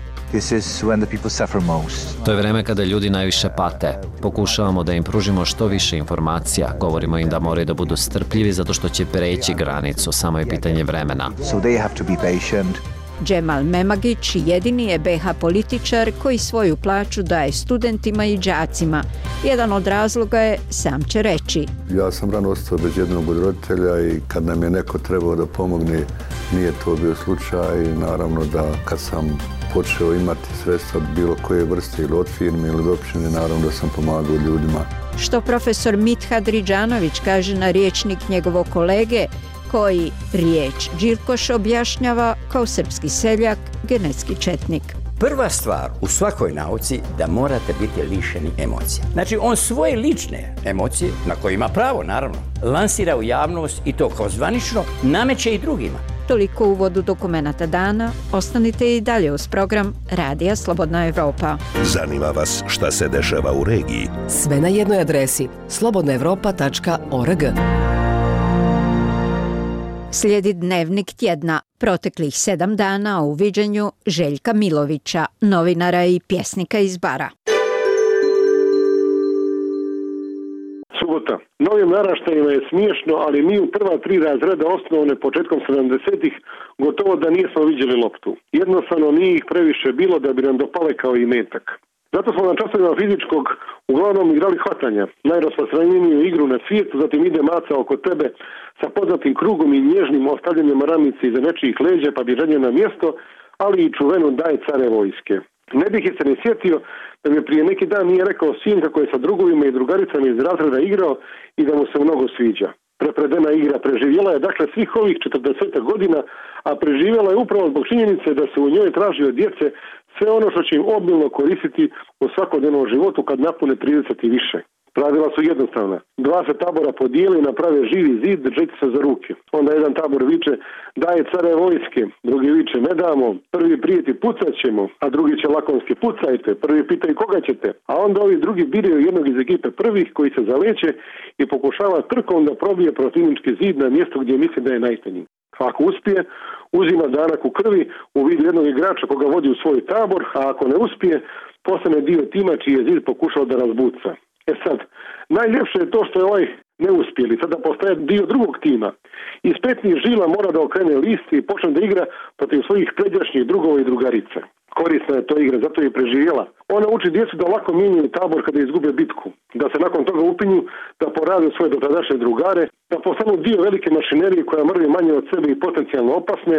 To je vreme kada ljudi najviše pate. Pokušavamo da im pružimo što više informacija. Govorimo im da moraju da budu strpljivi zato što će preći granicu. Samo je pitanje vremena. Džemal Memagić jedini je BH političar koji svoju plaću daje studentima i đacima. Jedan od razloga je, sam će reći. Ja sam rano ostao bez jednog od roditelja i kad nam je neko trebao da pomogne, nije to bio slučaj. I naravno da kad sam počeo imati sredstva bilo koje vrste ili od firme ili od općine, naravno da sam pomagao ljudima. Što profesor Mithad Ridžanović kaže na rječnik njegovog kolege, koji riječ Đilkoš objašnjava kao srpski seljak, genetski četnik. Prva stvar u svakoj nauci da morate biti lišeni emocija. Znači on svoje lične emocije, na koje ima pravo naravno, lansira u javnost i to kao zvanično nameće i drugima. Toliko u uvodu dokumenata dana. Ostanite i dalje uz program Radija Slobodna Evropa. Zanima vas šta se dešava u regiji? Sve na jednoj adresi slobodnaevropa.org. Slijedi dnevnik tjedna, proteklih 7 dana u viđenju Željka Milovića, novinara i pjesnika iz Bara. Subota. Novim naraštajima je smiješno, ali mi u prva 3 razreda osnovne početkom 70-ih gotovo da nismo vidjeli loptu. Jednostavno nije ih previše bilo da bi nam dopale kao i metak. Zato smo na časovima fizičkog uglavnom igrali hvatanja, najrasprostranjeniju igru na svijetu, zatim ide maca oko tebe sa poznatim krugom i nježnim ostavljanjem ramice iza nečijih leđa pa bježanje na mjesto, ali i čuvenu daj care vojske. Ne bih se ne sjetio da mi prije neki dan nije rekao sin kako je sa drugovima i drugaricama iz razreda igrao i da mu se mnogo sviđa. Prepredena igra preživjela je dakle svih ovih 40 godina, a preživjela je upravo zbog činjenice da se u njoj traži od djece sve ono što će im obilno koristiti u svakodnevnom životu kad napune 30 i više. Pravila su jednostavna. 2 se tabora podijeli i naprave živi zid držeći se za ruke. Onda jedan tabor viče daje care vojske, drugi viče ne damo, prvi prijeti pucat ćemo, a drugi će lakonski pucajte, prvi pitaju koga ćete, a onda ovi drugi biraju jednog iz ekipe prvih koji se zaleće i pokušava trkom da probije protivnički zid na mjesto gdje misli da je najtanji. Ako uspije, uzima danak u krvi u vidu jednog igrača koga vodi u svoj tabor, a ako ne uspije, postane dio tima čiji je zid pokušao da razbuca. Sad, najljepše je to što je ovaj neuspjeli, sada postaje dio drugog tima. Iz petnih žila mora da okrene list i počne da igra protiv svojih pređašnjih drugova i drugarica. Korisna je to igra, zato je preživjela. Ona uči djecu da lako mijenjaju tabor kada izgube bitku, da se nakon toga upinju, da porade svoje dotadašnje drugare, da postanu dio velike mašinerije koja mrvi manje od sebe i potencijalno opasne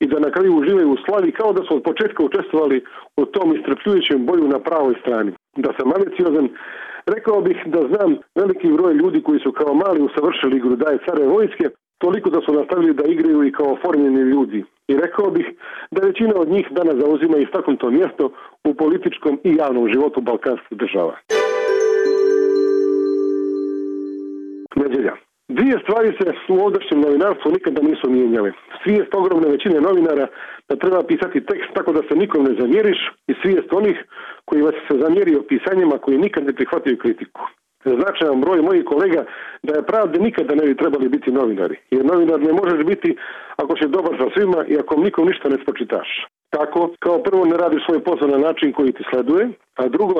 i da na kraju uživaju u slavi kao da su od početka učestvovali u tom istrpljujućem boju na pravoj strani. Da sam maliciozan, rekao bih da znam veliki broj ljudi koji su kao mali usavršili igru daje care vojske, toliko da su nastavili da igraju i kao oformljeni ljudi. I rekao bih da većina od njih danas zauzima istaknuto mjesto u političkom i javnom životu balkanskih država. Nedjelja. Dvije stvari se u ovdašnjem novinarstvu nikada nisu mijenjale. Svijest ogromne većine novinara da treba pisati tekst tako da se nikom ne zamjeriš i svijest onih koji vas se zamjerio pisanjima koji nikad ne prihvataju kritiku. Značajan broj mojih kolega da je pravde nikada ne bi trebali biti novinari. Jer novinar ne možeš biti ako si dobar sa svima i ako nikom ništa ne spočitaš. Tako, kao prvo ne radiš svoj posao na način koji ti sleduje, a drugo,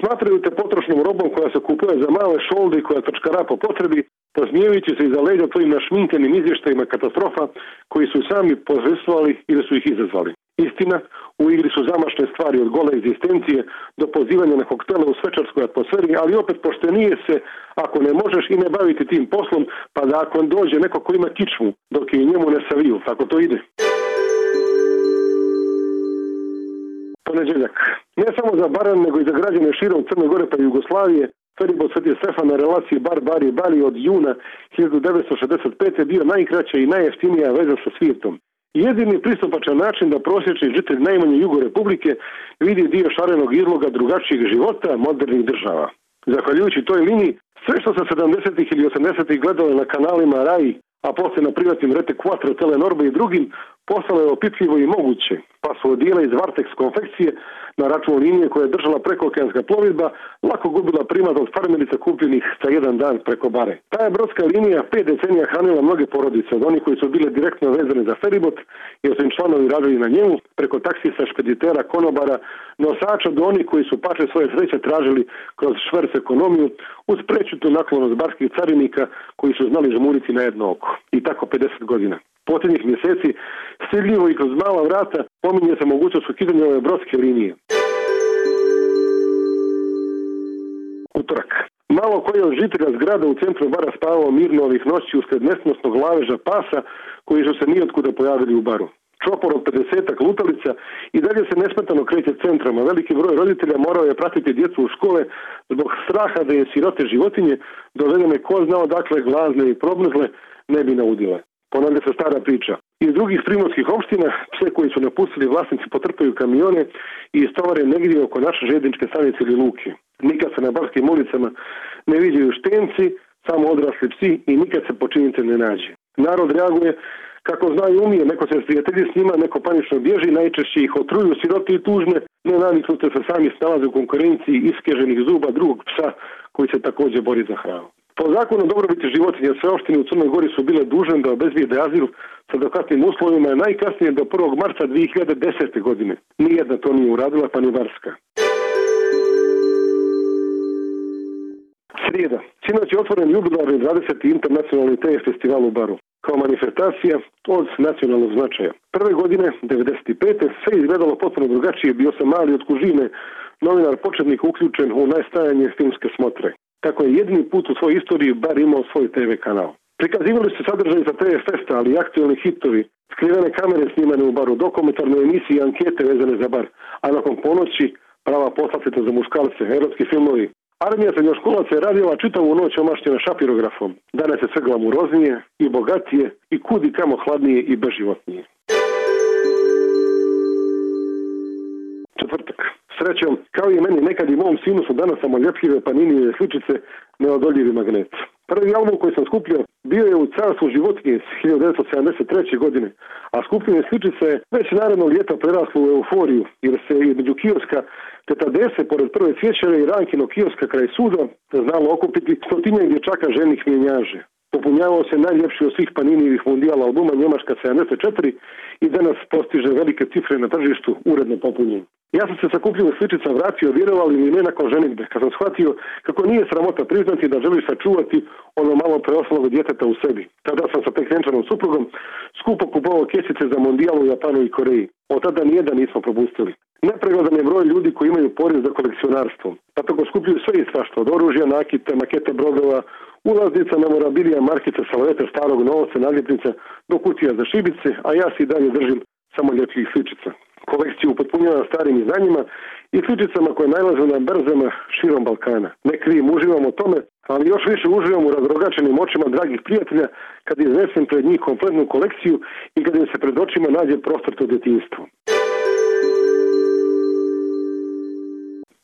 smatraju te potrošnom robom koja se kupuje za male šolde i koja trčkara po potrebi, posmijevajući se iza leđa tvojim našminkenim izvještajima katastrofa koji su sami pozvestvovali ili su ih izazvali. Istina, u igri su zamašne stvari od gole egzistencije do pozivanja na koktele u svečarskoj atmosferi, ali opet poštenije se ako ne možeš i ne baviti tim poslom, pa da ako dođe neko ko ima kičmu, dok je i njemu ne saviju, tako to ide. Ponedjeljak. Ne samo za Baran, nego i za građane širom Crne Gore pa Jugoslavije, feribot Sveti Stefan na relaciji Bar-Bari-Bali od juna 1965. bio najkraća i najjeftinija veza sa svijetom. Jedini pristupačan način da prosječni žitelj najmanje Jugo Republike vidi dio šarenog izloga drugačijeg života modernih država. Zahvaljujući toj liniji, sve što se 70. ili 80. gledalo na kanalima RAI, a poslije na privatnim Rete Quattro, Telenorbe i drugim, postalo je opipljivo i moguće, pa su odijela iz Vartex konfekcije na račun linije koja je držala prekookeanska plovidba lako gubila primat od farmerica kupljenih za jedan dan preko bare. Ta je brodska linija 5 decenija hranila mnoge porodice, od onih koji su bile direktno vezane za feribot jer su im članovi radili na njemu, preko taksista, špeditera, konobara, nosača do onih koji su pače svoje sreće tražili kroz šverc ekonomiju uz prečutu naklonost barskih carinika koji su znali žmuriti na jedno oko. I tako 50 godina. Posljednjih mjeseci stidljivo i kroz mala vrata pominje se mogućnost ukidanja ove brodske linije. Utorak. Malo koji od žitelja zgrada u centru bara spavao mirno ovih noći usred nesnosnog laveža pasa koji su se nijotkuda pojavili u baru. Čopor od 50-ak lutalica i dalje se nesmetano kreće centrom, a veliki broj roditelja morao je pratiti djecu u škole zbog straha da je sirote životinje dovedene ko zna odakle glazne i probnuzle ne bi naudile. Ponavlja se stara priča. Iz drugih primorskih opština pse koji su napustili vlasnici potrpaju kamione i istovare negdje oko naše željezničke stanice ili luke. Nikad se na barskim ulicama ne viđaju štenci, samo odrasli psi i nikad se počinitelj ne nađe. Narod reaguje kako zna i umije, neko se prijatelji s njima, neko panično bježi, najčešće ih otruju sirote i tužne, nenaviknute se sami snalaze u konkurenciji iskeženih zuba drugog psa koji se također bori za hranu. Po zakonu dobrobiti životinja sve opštine u Crnoj Gori su bile dužne da obezbijede azil sa adekvatnim uslovima najkasnije do 1. marta 2010. godine. Nijedna to nije uradila, pa ni Barska. Srijeda. Sinoć je otvoren jubilarni 20. internacionalni TF festival u Baru. Kao manifestacija od nacionalnog značaja. Prve godine, 95. sve izgledalo potpuno drugačije. Bio sam mali od kužine, novinar početnik uključen u najstajanje filmske smotre. Tako je jedini put u svojoj istoriji Bar imao svoj TV kanal. Prikazivali se sadržaji za TF Festa, ali i aktualni hitovi, skrivene kamere snimane u Baru, dokumentarne emisije i ankete vezane za Bar, a nakon ponoći prava poslastica za muškalce, erotski filmovi. Armija srednjoškolaca je radila čitavu noć omašćena šapirografom. Danas je sve glamuroznije i bogatije i kudi kamo hladnije i beživotnije. Četvrtak. Srećom, kao i meni, nekad i mom sinu su danas samoljepljive Paninijeve sličice neodoljivi magnet. Prvi album koji sam skupljio bio je u Carstvu životinje iz 1973. godine, a skupljene sličice je već naredno ljeta preraslo u euforiju, jer se između kioska Tetadese, pored prve cvjećare i Rankino kioska kraj suda, znalo okupiti stotinjak dječaka ženih mjenjaže. Popunjavao se najljepši od svih Paninijevih mundijala albuma Njemačka 74 i danas postiže velike cifre na tržištu uredno popunjen. Ja sam se sakupljenih sličica vratio, vjerovali ili ne, nakon ženitbe, kad sam shvatio kako nije sramota priznati da želiš sačuvati ono malo preostalog djeteta u sebi. Tada sam sa tek vjenčanom suprugom skupo kupovao kesice za mondijal u Japanu i Koreji. Od tada nijedan nismo propustili. Nepregledan je broj ljudi koji imaju poriv za kolekcionarstvo. Pa tako skupljuju sve i svašta, od oružja, nakita, makete brodova, ulaznica, memorabilija, markica, salaveta, starog novca, naljepnica, do kutija za šibice, a ja si dalje držim samo ljepljih sličica. Kolekciju upotpunjavam starim izdanjima i sličicama koje najlaze na berzama širom Balkana. Ne krivim, uživam o tome, ali još više uživam u razrogačenim očima dragih prijatelja kad iznesem pred njih kompletnu kolekciju i kad im se pred očima nađe prostrto djetinjstvo.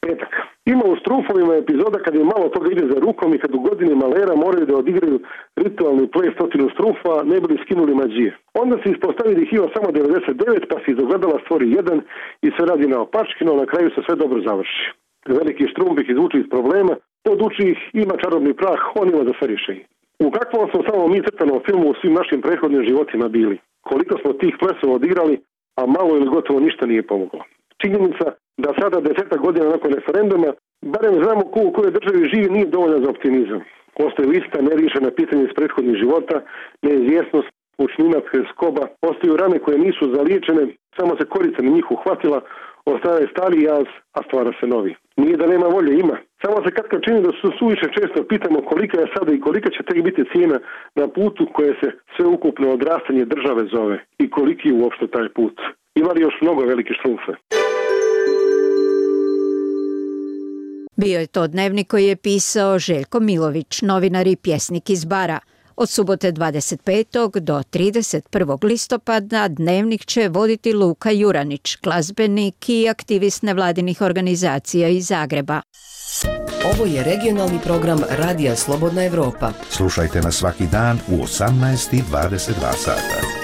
Petak. Ima u Strumfovima epizoda kad je malo toga ide za rukom i kad u godini malera moraju da odigraju ritualni play 100 strumfa, ne bili skinuli mađije. Onda se ispostavi da ih ima samo 99, pa se iz ogledala stvori jedan i sve radi naopački, no na kraju se sve dobro završi. Veliki Štrumf ih izvuče iz problema, poduči ih, ima čarobni prah, on ima da sve riješi. U kakvom smo samo mi crtanom filmu u svim našim prethodnim životima bili? Koliko smo tih plesova odigrali, a malo ili gotovo ništa nije pomoglo. Činjenica da sada 10 godina nakon referenduma, barem znamo ko u kojoj državi živi, nije dovoljna za optimizam. Ostaju ista neriješena pitanja iz prethodnih života, neizvjesnost, učninac, skoba, ostaju rane koje nisu zaliječene, samo se korica na njih uhvatila, ostaje stari jaz, a stvara se novi. Nije da nema volje, ima. Samo se katkad čini da su suviše često pitamo kolika je sada i kolika će tek biti cijena na putu koje se sveukupno odrastanje države zove i koliki je uopšte taj put. Ima li još mnogo velike Štrumfe? Bio je to dnevnik koji je pisao Željko Milović, novinar i pjesnik iz Bara. Od subote 25. do 31. listopada dnevnik će voditi Luka Juranić, glazbenik i aktivist nevladinih organizacija iz Zagreba. Ovo je regionalni program Radija Slobodna Evropa. Slušajte nas svaki dan u 18:22 sata.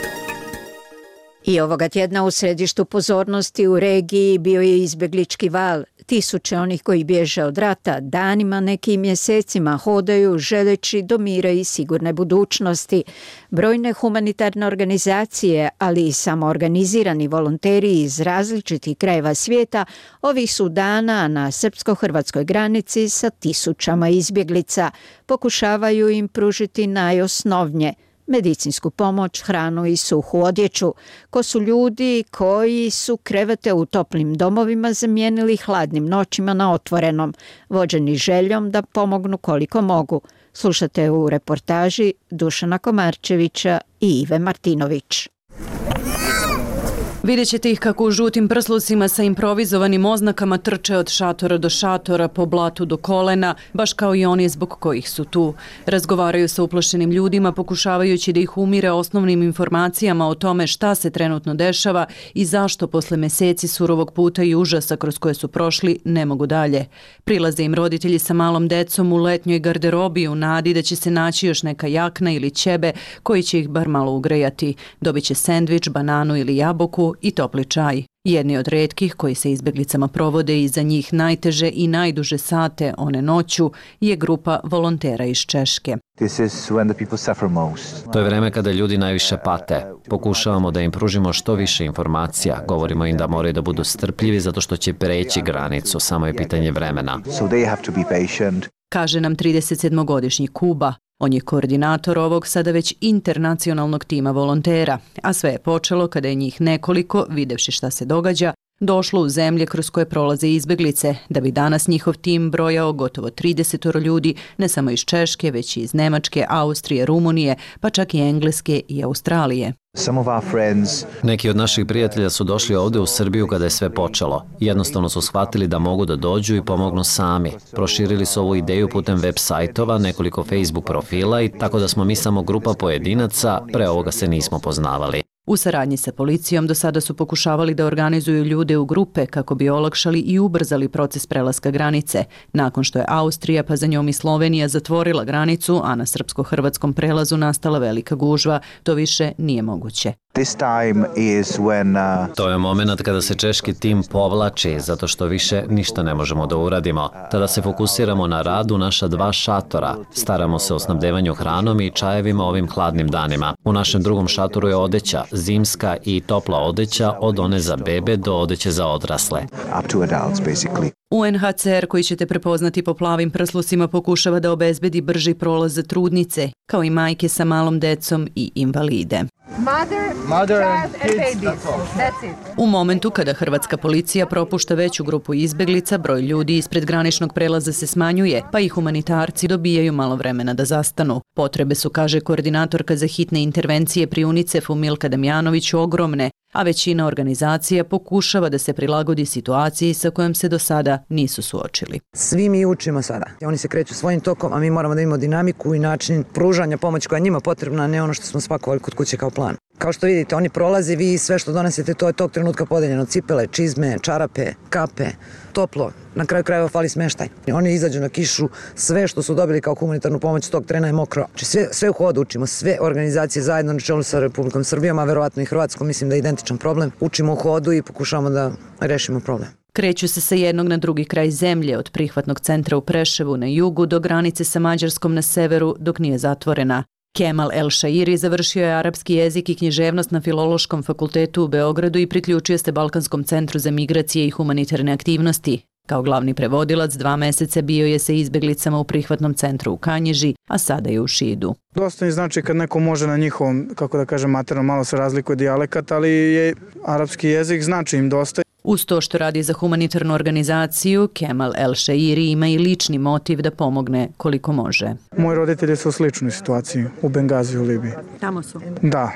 I ovoga tjedna u središtu pozornosti u regiji bio je izbjeglički val. Tisuće onih koji bježe od rata danima, nekim mjesecima hodaju želeći do mira i sigurne budućnosti. Brojne humanitarne organizacije, ali i samoorganizirani volonteri iz različitih krajeva svijeta ovih su dana na srpsko-hrvatskoj granici sa tisućama izbjeglica. Pokušavaju im pružiti najosnovnije – medicinsku pomoć, hranu i suhu odjeću. Ko su ljudi koji su krevete u toplim domovima zamijenili hladnim noćima na otvorenom, vođeni željom da pomognu koliko mogu. Slušate u reportaži Dušana Komarčevića i Ive Martinović. Vidjet ćete ih kako u žutim prslucima sa improvizovanim oznakama trče od šatora do šatora, po blatu do kolena, baš kao i oni zbog kojih su tu. Razgovaraju sa uplašenim ljudima, pokušavajući da ih umire osnovnim informacijama o tome šta se trenutno dešava i zašto posle meseci surovog puta i užasa kroz koje su prošli ne mogu dalje. Prilaze im roditelji sa malom decom u letnjoj garderobi u nadi da će se naći još neka jakna ili ćebe koji će ih bar malo ugrejati. Dobit će sendvič, bananu ili jabuku i topli čaj. Jedni od retkih koji se izbjeglicama provode i za njih najteže i najduže sate one noću je grupa volontera iz Češke. To je vreme kada ljudi najviše pate. Pokušavamo da im pružimo što više informacija. Govorimo im da moraju da budu strpljivi zato što će preći granicu, samo je pitanje vremena. Kaže nam 37-godišnji Kuba. On je koordinator ovog sada već internacionalnog tima volontera, a sve je počelo kada je njih nekoliko, videvši šta se događa, došlo u zemlje kroz koje prolaze izbjeglice, da bi danas njihov tim brojao gotovo 30 ljudi, ne samo iz Češke, već i iz Nemačke, Austrije, Rumunije, pa čak i Engleske i Australije. Neki od naših prijatelja su došli ovdje u Srbiju kada je sve počelo. Jednostavno su shvatili da mogu da dođu i pomognu sami. Proširili su ovu ideju putem web sajtova, nekoliko Facebook profila i tako da smo mi samo grupa pojedinaca, pre ovoga se nismo poznavali. U saradnji sa policijom do sada su pokušavali da organizuju ljude u grupe kako bi olakšali i ubrzali proces prelaska granice. Nakon što je Austrija, pa za njom i Slovenija zatvorila granicu, a na srpsko-hrvatskom prelazu nastala velika gužva, to više nije moguće. To je moment kada se češki tim povlači, zato što više ništa ne možemo da uradimo. Tada se fokusiramo na rad u naša 2 šatora. Staramo se o snabdevanju hranom i čajevima ovim hladnim danima. U našem drugom šatoru je odeća, zimska i topla odeća, od one za bebe do odeće za odrasle. UNHCR, koji ćete prepoznati po plavim prslucima, pokušava da obezbedi brži prolaz za trudnice, kao i majke sa malom decom i invalide. U momentu kada hrvatska policija propušta veću grupu izbjeglica, broj ljudi ispred graničnog prelaza se smanjuje, pa i humanitarci dobijaju malo vremena da zastanu. Potrebe su, kaže koordinatorka za hitne intervencije pri UNICEF-u Milka Damjanović, ogromne, a većina organizacija pokušava da se prilagodi situaciji sa kojom se do sada nisu suočili. Svi mi učimo sada. Oni se kreću svojim tokom, a mi moramo da imamo dinamiku i način pružanja pomoći koja je njima potrebna, a ne ono što smo spakovali kod kuće kao plan. Kao što vidite, oni prolaze, vi sve što donesete, to je tog trenutka podeljeno. Cipele, čizme, čarape, kape, toplo. Na kraju krajeva fali smeštaj. Oni izađu na kišu, sve što su dobili kao humanitarnu pomoć tog trena je mokro. Sve u hodu učimo, sve organizacije zajedno na čelu sa Republikom Srbijom, a verovatno i Hrvatskom, mislim da je identičan problem. Učimo u hodu i pokušavamo da rešimo problem. Kreću se sa jednog na drugi kraj zemlje, od prihvatnog centra u Preševu na jugu do granice sa Mađarskom na severu, dok nije zatvorena. Kemal El Shairi završio je arapski jezik i književnost na Filološkom fakultetu u Beogradu i priključio se Balkanskom centru za migracije i humanitarne aktivnosti. Kao glavni prevodilac 2 meseca bio je sa izbeglicama u prihvatnom centru u Kanjiži, a sada je u Šidu. Dosta mi znači kad neko može na njihovom, kako da kažem, materno, malo se razlikuje dijalekat, ali je arapski jezik znači im dosta. Uz to što radi za humanitarnu organizaciju, Kemal El Shairi ima i lični motiv da pomogne koliko može. Moji roditelji su u sličnoj situaciji, u Bengaziju, u Libiji. Tamo su? Da.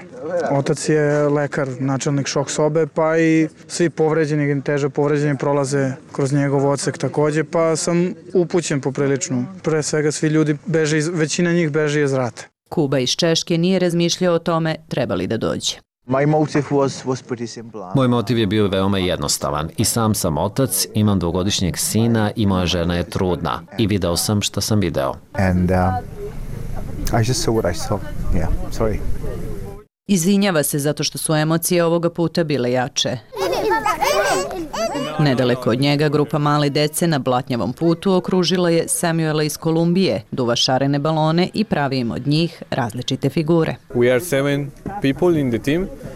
Otac je lekar, načelnik šok sobe, pa i svi povređeni, teže povređeni prolaze kroz njegov odsek takođe, pa sam upućen poprilično. Pre svega svi ljudi beže, većina njih beže iz rata. Kuba iz Češke nije razmišljao o tome treba li da dođe. Moj motiv je bio veoma jednostavan. I sam sam otac, imam 2-godišnjeg sina i moja žena je trudna. I video sam šta sam video. Izvinjava se zato što su emocije ovoga puta bile jače. Nedaleko od njega grupa male dece na blatnjavom putu okružila je Samuela iz Kolumbije, duva šarene balone i pravi im od njih različite figure.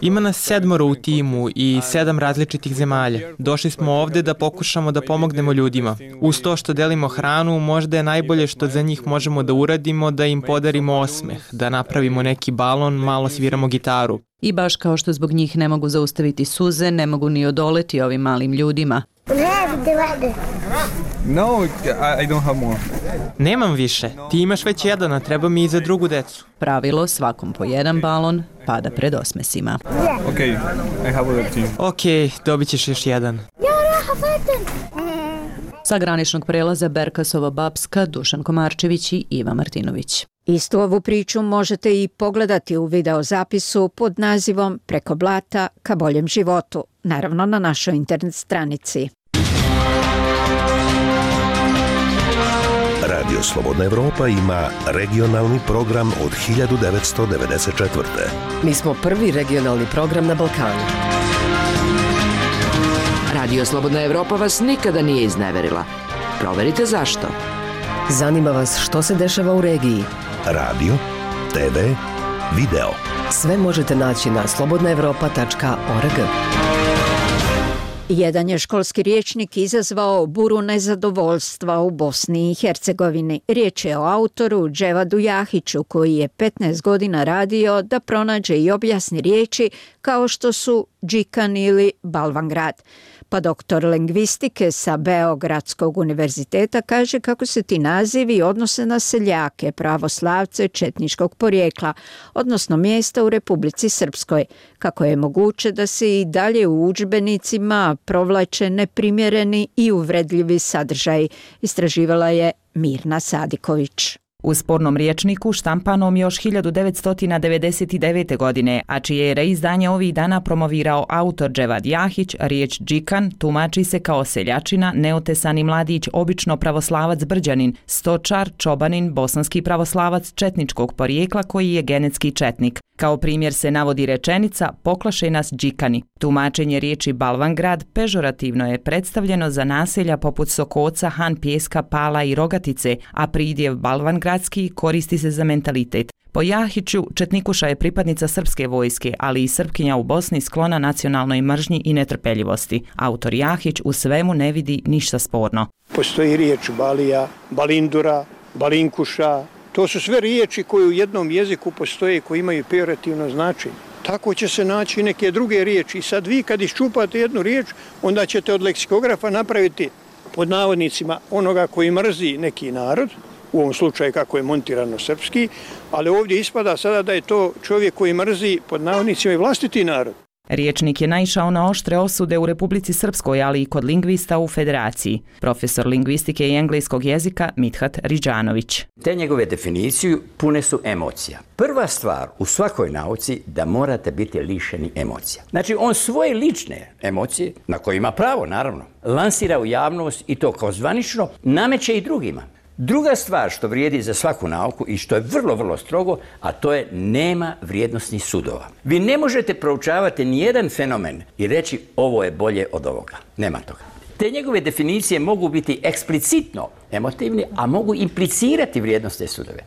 Ima nas 7 u timu i 7 različitih zemalja. Došli smo ovde da pokušamo da pomognemo ljudima. Uz to što delimo hranu, možda je najbolje što za njih možemo da uradimo da im podarimo osmeh, da napravimo neki balon, malo sviramo gitaru. I baš kao što zbog njih ne mogu zaustaviti suze, ne mogu ni odoleti ovim malim ljudima. Nemam više. Ti imaš već jedan, a treba mi i za drugu decu. Pravilo, svakom po jedan balon, pada pred osmesima. Ok, dobit ćeš još jedan. Sa graničnog prelaza Berkasova Bapska, Dušan Komarčević i Iva Martinović. Istu ovu priču možete i pogledati u videozapisu pod nazivom Preko blata ka boljem životu, naravno na našoj internet stranici. Radio Slobodna Evropa ima regionalni program od 1994. Mi smo prvi regionalni program na Balkanu. Radio Slobodna Evropa vas nikada nije izneverila. Proverite zašto. Zanima vas što se dešava u regiji. Radio, TV, video. Sve možete naći na slobodnaevropa.org. Jedan je školski rječnik izazvao buru nezadovoljstva u Bosni i Hercegovini. Riječ je o autoru Dževadu Jahiću koji je 15 godina radio da pronađe i objasni riječi kao što su Džikan ili Balvangrad. Pa doktor lingvistike sa Beogradskog univerziteta kaže kako se ti nazivi odnose na seljake, pravoslavce četničkog porijekla, odnosno mjesta u Republici Srpskoj. Kako je moguće da se i dalje u udžbenicima provlače neprimjereni i uvredljivi sadržaji, istraživala je Mirna Sadiković. U spornom rječniku štampanom još 1999. godine, a čije je reizdanje ovih dana promovirao autor Dževad Jahić, riječ džikan tumači se kao seljačina, neotesani mladić, obično pravoslavac brđanin, stočar, čobanin, bosanski pravoslavac četničkog porijekla koji je genetski četnik. Kao primjer se navodi rečenica poklaše nas džikani. Tumačenje riječi Balvangrad pežorativno je predstavljeno za naselja poput Sokoca, Han Pjeska, Pala i Rogatice, a pridjev Balvangradski koristi se za mentalitet. Po Jahiću, četnikuša je pripadnica srpske vojske, ali i Srpkinja u Bosni sklona nacionalnoj mržnji i netrpeljivosti. Autor Jahić u svemu ne vidi ništa sporno. Postoji riječ balija, balindura, balinkuša. To su sve riječi koje u jednom jeziku postoje i koje imaju pejorativno značenje. Tako će se naći i neke druge riječi. I sad vi kad iščupate jednu riječ, onda ćete od leksikografa napraviti pod navodnicima onoga koji mrzi neki narod, u ovom slučaju kako je montirano srpski, ali ovdje ispada sada da je to čovjek koji mrzi pod navodnicima i vlastiti narod. Riječnik je naišao na oštre osude u Republici Srpskoj, ali i kod lingvista u Federaciji. Profesor lingvistike i engleskog jezika Mithat Riđanović. Te njegove definicije pune su emocija. Prva stvar u svakoj nauci da morate biti lišeni emocija. Znači on svoje lične emocije, na koje ima pravo naravno, lansira u javnost i to kao zvanično nameće i drugima. Druga stvar što vrijedi za svaku nauku i što je vrlo, vrlo strogo, a to je nema vrijednosnih sudova. Vi ne možete proučavati nijedan fenomen i reći ovo je bolje od ovoga. Nema toga. Te njegove definicije mogu biti eksplicitno emotivni, a mogu implicirati vrijednosne sudove.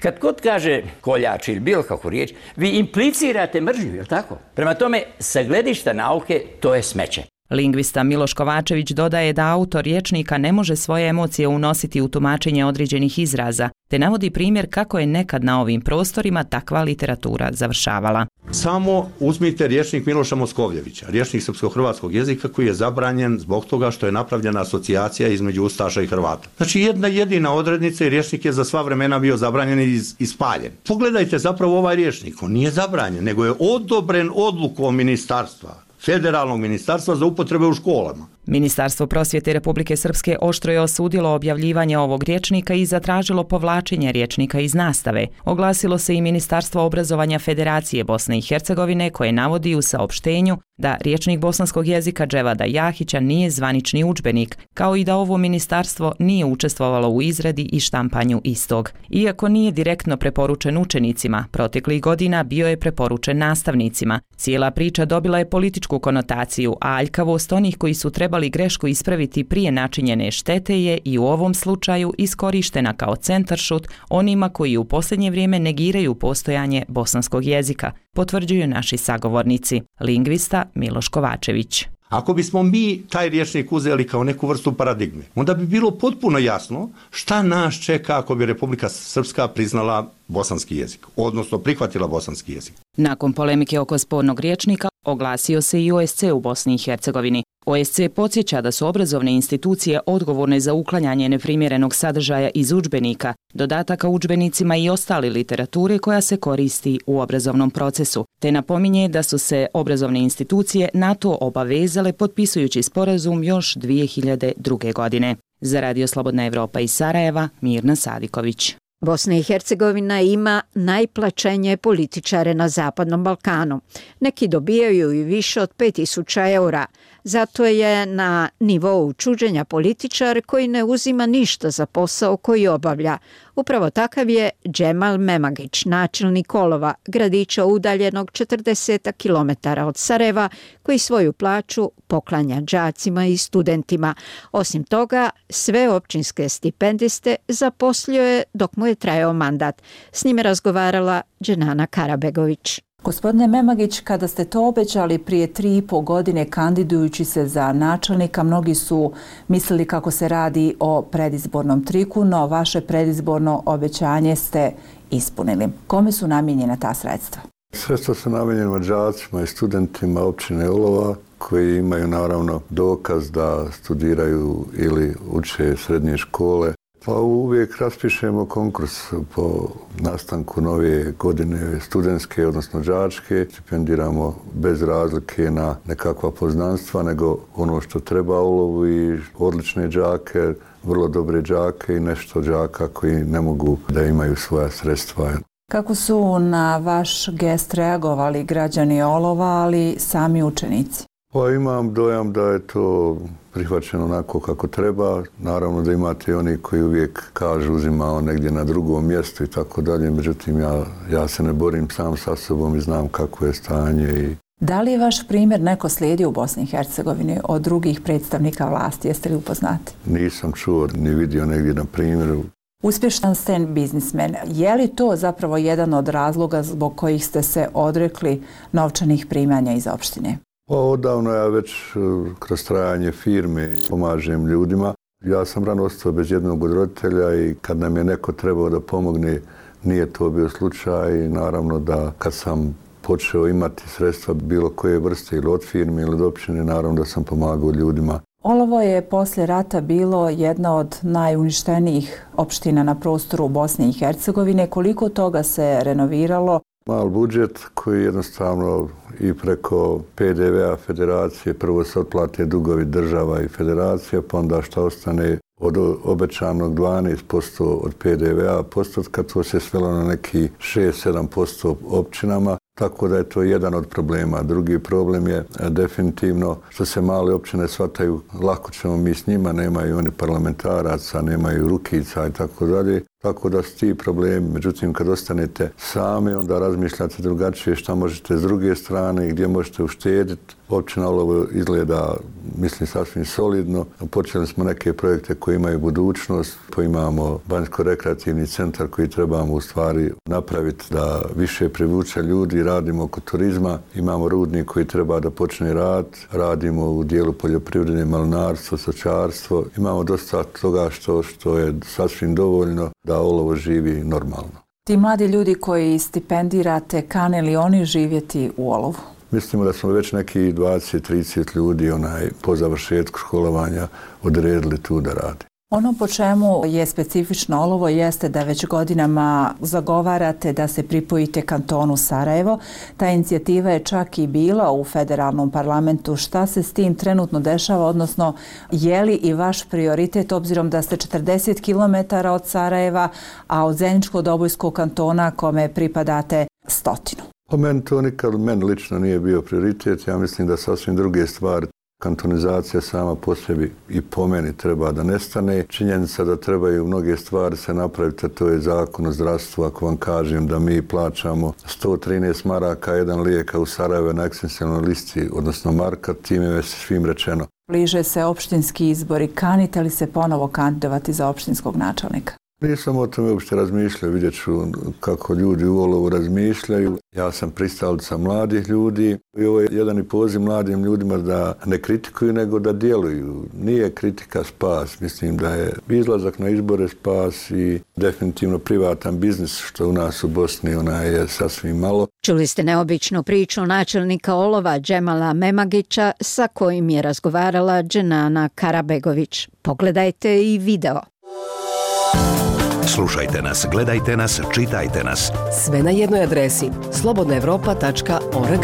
Kad god kaže koljač ili bilo kakvu riječ, vi implicirate mržnju, je li tako? Prema tome, sa gledišta nauke, to je smeće. Lingvista Miloš Kovačević dodaje da autor rječnika ne može svoje emocije unositi u tumačenje određenih izraza, te navodi primjer kako je nekad na ovim prostorima takva literatura završavala. Samo uzmite rječnik Miloša Moskovljevića, rječnik srpsko-hrvatskog jezika koji je zabranjen zbog toga što je napravljena asocijacija između Ustaša i Hrvata. Znači jedna jedina odrednica i rječnik je za sva vremena bio zabranjen i spaljen. Pogledajte zapravo ovaj rječnik, on nije zabranjen, nego je odobren odlukom ministarstva. Federalnog ministarstva za upotrebe u školama. Ministarstvo prosvjete Republike Srpske oštro je osudilo objavljivanje ovog rječnika i zatražilo povlačenje rječnika iz nastave. Oglasilo se i Ministarstvo obrazovanja Federacije Bosne i Hercegovine koje navodi u saopštenju da rječnik bosanskog jezika Dževada Jahića nije zvanični udžbenik, kao i da ovo ministarstvo nije učestvovalo u izradi i štampanju istog. Iako nije direktno preporučen učenicima, proteklih godina bio je preporučen nastavnicima. Cijela priča dobila je političku konotaciju, a aljkavost onih koji su trebali grešku ispraviti prije načinjene štete je i u ovom slučaju iskorištena kao centaršut onima koji u posljednje vrijeme negiraju postojanje bosanskog jezika, potvrđuju naši sagovornici. Lingvista Miloš Kovačević. Ako bismo mi taj rječnik uzeli kao neku vrstu paradigme, onda bi bilo potpuno jasno šta nas čeka ako bi Republika Srpska priznala bosanski jezik, odnosno prihvatila bosanski jezik. Nakon polemike oko spornog rječnika oglasio se i OSC u Bosni i Hercegovini. OSC podsjeća da su obrazovne institucije odgovorne za uklanjanje neprimjerenog sadržaja iz udžbenika, dodataka udžbenicima i ostale literature koja se koristi u obrazovnom procesu, te napominje da su se obrazovne institucije na to obavezale potpisujući sporazum još 2002. godine. Za Radio Slobodna Evropa iz Sarajeva, Mirna Sadiković. Bosna i Hercegovina ima najplaćenije političare na Zapadnom Balkanu. Neki dobijaju i više od 5000 eura. Zato je na nivou čuđenja političar koji ne uzima ništa za posao koji obavlja. Upravo takav je Džemal Memagić, načelnik Olova, gradića udaljenog 40 km od Sarajeva, koji svoju plaću poklanja đacima i studentima. Osim toga, sve općinske stipendiste zaposlio je dok mu je trajao mandat. S njime razgovarala Dženana Karabegović. Gospodine Memagić, kada ste to obećali prije 3,5 godine kandidujući se za načelnika, mnogi su mislili kako se radi o predizbornom triku, no vaše predizborno obećanje ste ispunili. Kome su namijenjena ta sredstva? Sredstva su namijenjena đacima i studentima općine Olova koji imaju naravno dokaz da studiraju ili uče srednje škole. Pa uvijek raspišemo konkurs po nastanku nove godine studentske, odnosno đačke. Stipendiramo bez razlike na nekakva poznanstva, nego ono što treba Olovu i odlične đake, vrlo dobre đake i nešto đaka koji ne mogu da imaju svoja sredstva. Kako su na vaš gest reagovali građani Olova, ali sami učenici? Pa imam dojam da je to prihvaćeno onako kako treba. Naravno da imate i oni koji uvijek kažu uzimao negdje na drugom mjestu i tako dalje. Međutim, ja se ne borim sam sa sobom i znam kako je stanje. Da li je vaš primjer neko slijedio u Bosni i Hercegovini od drugih predstavnika vlasti? Jeste li upoznati? Nisam čuo ni vidio negdje na primjeru. Uspješan ste biznismen. Je li to zapravo jedan od razloga zbog kojih ste se odrekli novčanih primanja iz opštine? Pa odavno ja već kroz trajanje firme pomažem ljudima. Ja sam rano ostao bez jednog od roditelja i kad nam je neko trebao da pomogne, nije to bio slučaj. I naravno da kad sam počeo imati sredstva bilo koje vrste ili od firme ili od općine, naravno da sam pomagao ljudima. Olovo je poslije rata bilo jedna od najuništenijih opština na prostoru Bosne i Hercegovine. Koliko toga se renoviralo? Mal budžet koji jednostavno i preko PDV-a federacije prvo se otplate dugovi država i federacija, pa onda što ostane od obećanog 12% od PDV-a postotka, to se svelo na neki 6-7% općinama. Tako da je to jedan od problema. Drugi problem je definitivno što se male općine shvataju, lako ćemo mi s njima, nemaju oni parlamentaraca, nemaju rukica i tako dalje. Tako da su ti problemi. Međutim, kad ostanete sami, onda razmišljate drugačije šta možete s druge strane i gdje možete uštediti. Općina Olovo izgleda, mislim, sasvim solidno. Počeli smo neke projekte koji imaju budućnost. Imamo banjsko-rekreativni centar koji trebamo u stvari napraviti da više privuče ljudi. Radimo oko turizma. Imamo rudnik koji treba da počne rad. Radimo u dijelu poljoprivrede, malinarstvo, stočarstvo. Imamo dosta toga što je sasvim dovoljno da Olovo živi normalno. Ti mladi ljudi koji stipendirate, kane li oni živjeti u Olovu? Mislimo da smo već neki 20-30 ljudi po završetku školovanja odredili tu da radi. Ono po čemu je specifično Olovo jeste da već godinama zagovarate da se pripojite kantonu Sarajevo. Ta inicijativa je čak i bila u federalnom parlamentu. Šta se s tim trenutno dešava, odnosno je li i vaš prioritet obzirom da ste 40 km od Sarajeva, a od Zeničko-Dobojskog kantona kome pripadate 100? Po meni to nikad lično nije bio prioritet. Ja mislim da sasvim druge stvari. Kantonizacija sama po sebi i po meni treba da nestane. Činjenica da trebaju mnoge stvari se napraviti, a to je zakon o zdravstvu. Ako vam kažem da mi plaćamo 113 maraka jedan lijek u Sarajevo na ekstensionalnoj listi, odnosno marka, time je svim rečeno. Bliže se opštinski izbori. Kanite li se ponovo kandidovati za opštinskog načelnika? Nisam o tome uopšte razmišljao, vidjet ću kako ljudi u Olovu razmišljaju. Ja sam pristalica mladih ljudi i ovo je jedan i poziv mladim ljudima da ne kritikuju nego da djeluju. Nije kritika spas, mislim da je izlazak na izbore spas i definitivno privatan biznis što u nas u Bosni je sasvim malo. Čuli ste neobičnu priču načelnika Olova Džemala Memagića sa kojim je razgovarala Dženana Karabegović. Pogledajte i video. Slušajte nas, gledajte nas, čitajte nas. Sve na jednoj adresi slobodnaevropa.org.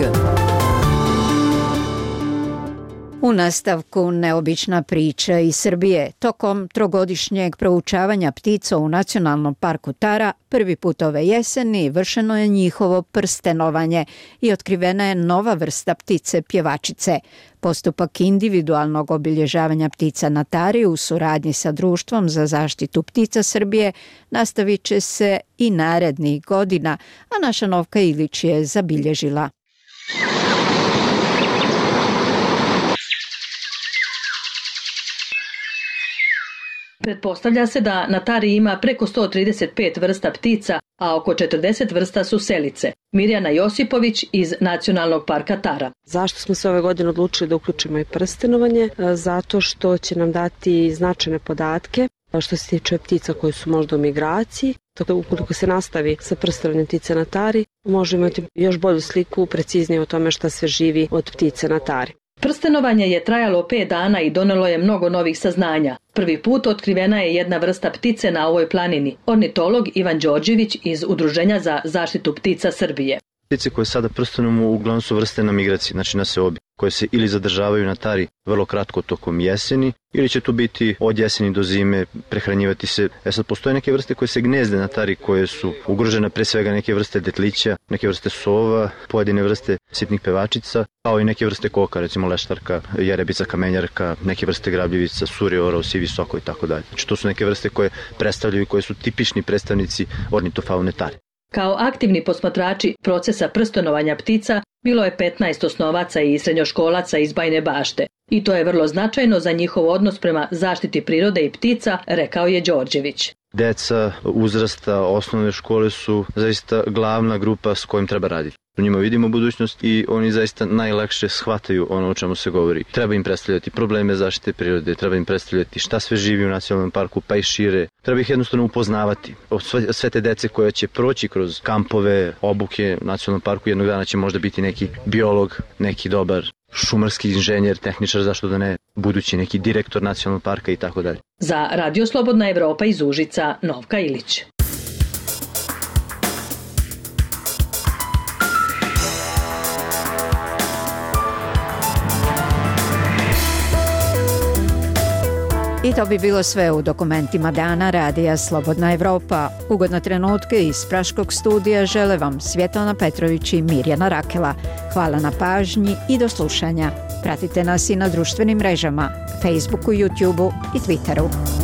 U nastavku neobična priča iz Srbije. Tokom trogodišnjeg proučavanja ptica u Nacionalnom parku Tara prvi put ove jeseni vršeno je njihovo prstenovanje i otkrivena je nova vrsta ptice pjevačice. Postupak individualnog obilježavanja ptica na Tari u suradnji sa Društvom za zaštitu ptica Srbije nastavit će se i narednih godina, a naša Novka Ilić je zabilježila. Pretpostavlja se da na Tari ima preko 135 vrsta ptica, a oko 40 vrsta su selice. Mirjana Josipović iz Nacionalnog parka Tara. Zašto smo se ove godine odlučili da uključimo i prstenovanje? Zato što će nam dati značajne podatke što se tiče ptica koje su možda u migraciji. Tako da ukoliko se nastavi sa prstenovanjem ptice na Tari, možemo imati još bolju sliku, preciznije o tome šta sve živi od ptice na Tari. Prstenovanje je trajalo 5 dana i donelo je mnogo novih saznanja. Prvi put otkrivena je jedna vrsta ptice na ovoj planini. Ornitolog Ivan Đorđević iz Udruženja za zaštitu ptica Srbije. Ptice koje sada prstenujemo uglavnom su vrste na migraciji, znači na seobi, koje se ili zadržavaju na Tari vrlo kratko tokom jeseni, ili će tu biti od jeseni do zime, prehranjivati se. Sad postoje neke vrste koje se gnezde na Tari, koje su ugrožene, pre svega neke vrste detlića, neke vrste sova, pojedine vrste sitnih pevačica, kao i neke vrste koka, recimo leštarka, jerebica, kamenjarka, neke vrste grabljivica, suri, orao, sivi soko i tako dalje. Znači to su neke vrste koje predstavljaju i koje su tipični predstavnici ornitofaune Tari. Kao aktivni posmatrači procesa prstenovanja ptica bilo je 15 osnovaca i srednjoškolaca iz Bajine Bašte. I to je vrlo značajno za njihov odnos prema zaštiti prirode i ptica, rekao je Đorđević. Deca uzrasta osnovne škole su zaista glavna grupa s kojim treba raditi. U njima vidimo budućnost i oni zaista najlakše shvataju ono o čemu se govori. Treba im predstavljati probleme zaštite prirode, treba im predstavljati šta sve živi u nacionalnom parku, pa i šire. Treba ih jednostavno upoznavati. Sve te dece koja će proći kroz kampove, obuke u nacionalnom parku, jednog dana će možda biti neki biolog, neki dobar šumarski inženjer, tehničar, zašto da ne, budući neki direktor nacionalnog parka i tako dalje. Za Radio Slobodna Evropa iz Užica, Novka Ilić. I to bi bilo sve u dokumentima dana radija Slobodna Evropa. Ugodne trenutke iz Praškog studija žele vam Svjetlana Petrović i Mirjana Rakela. Hvala na pažnji i do slušanja. Pratite nas i na društvenim mrežama, Facebooku, YouTubeu i Twitteru.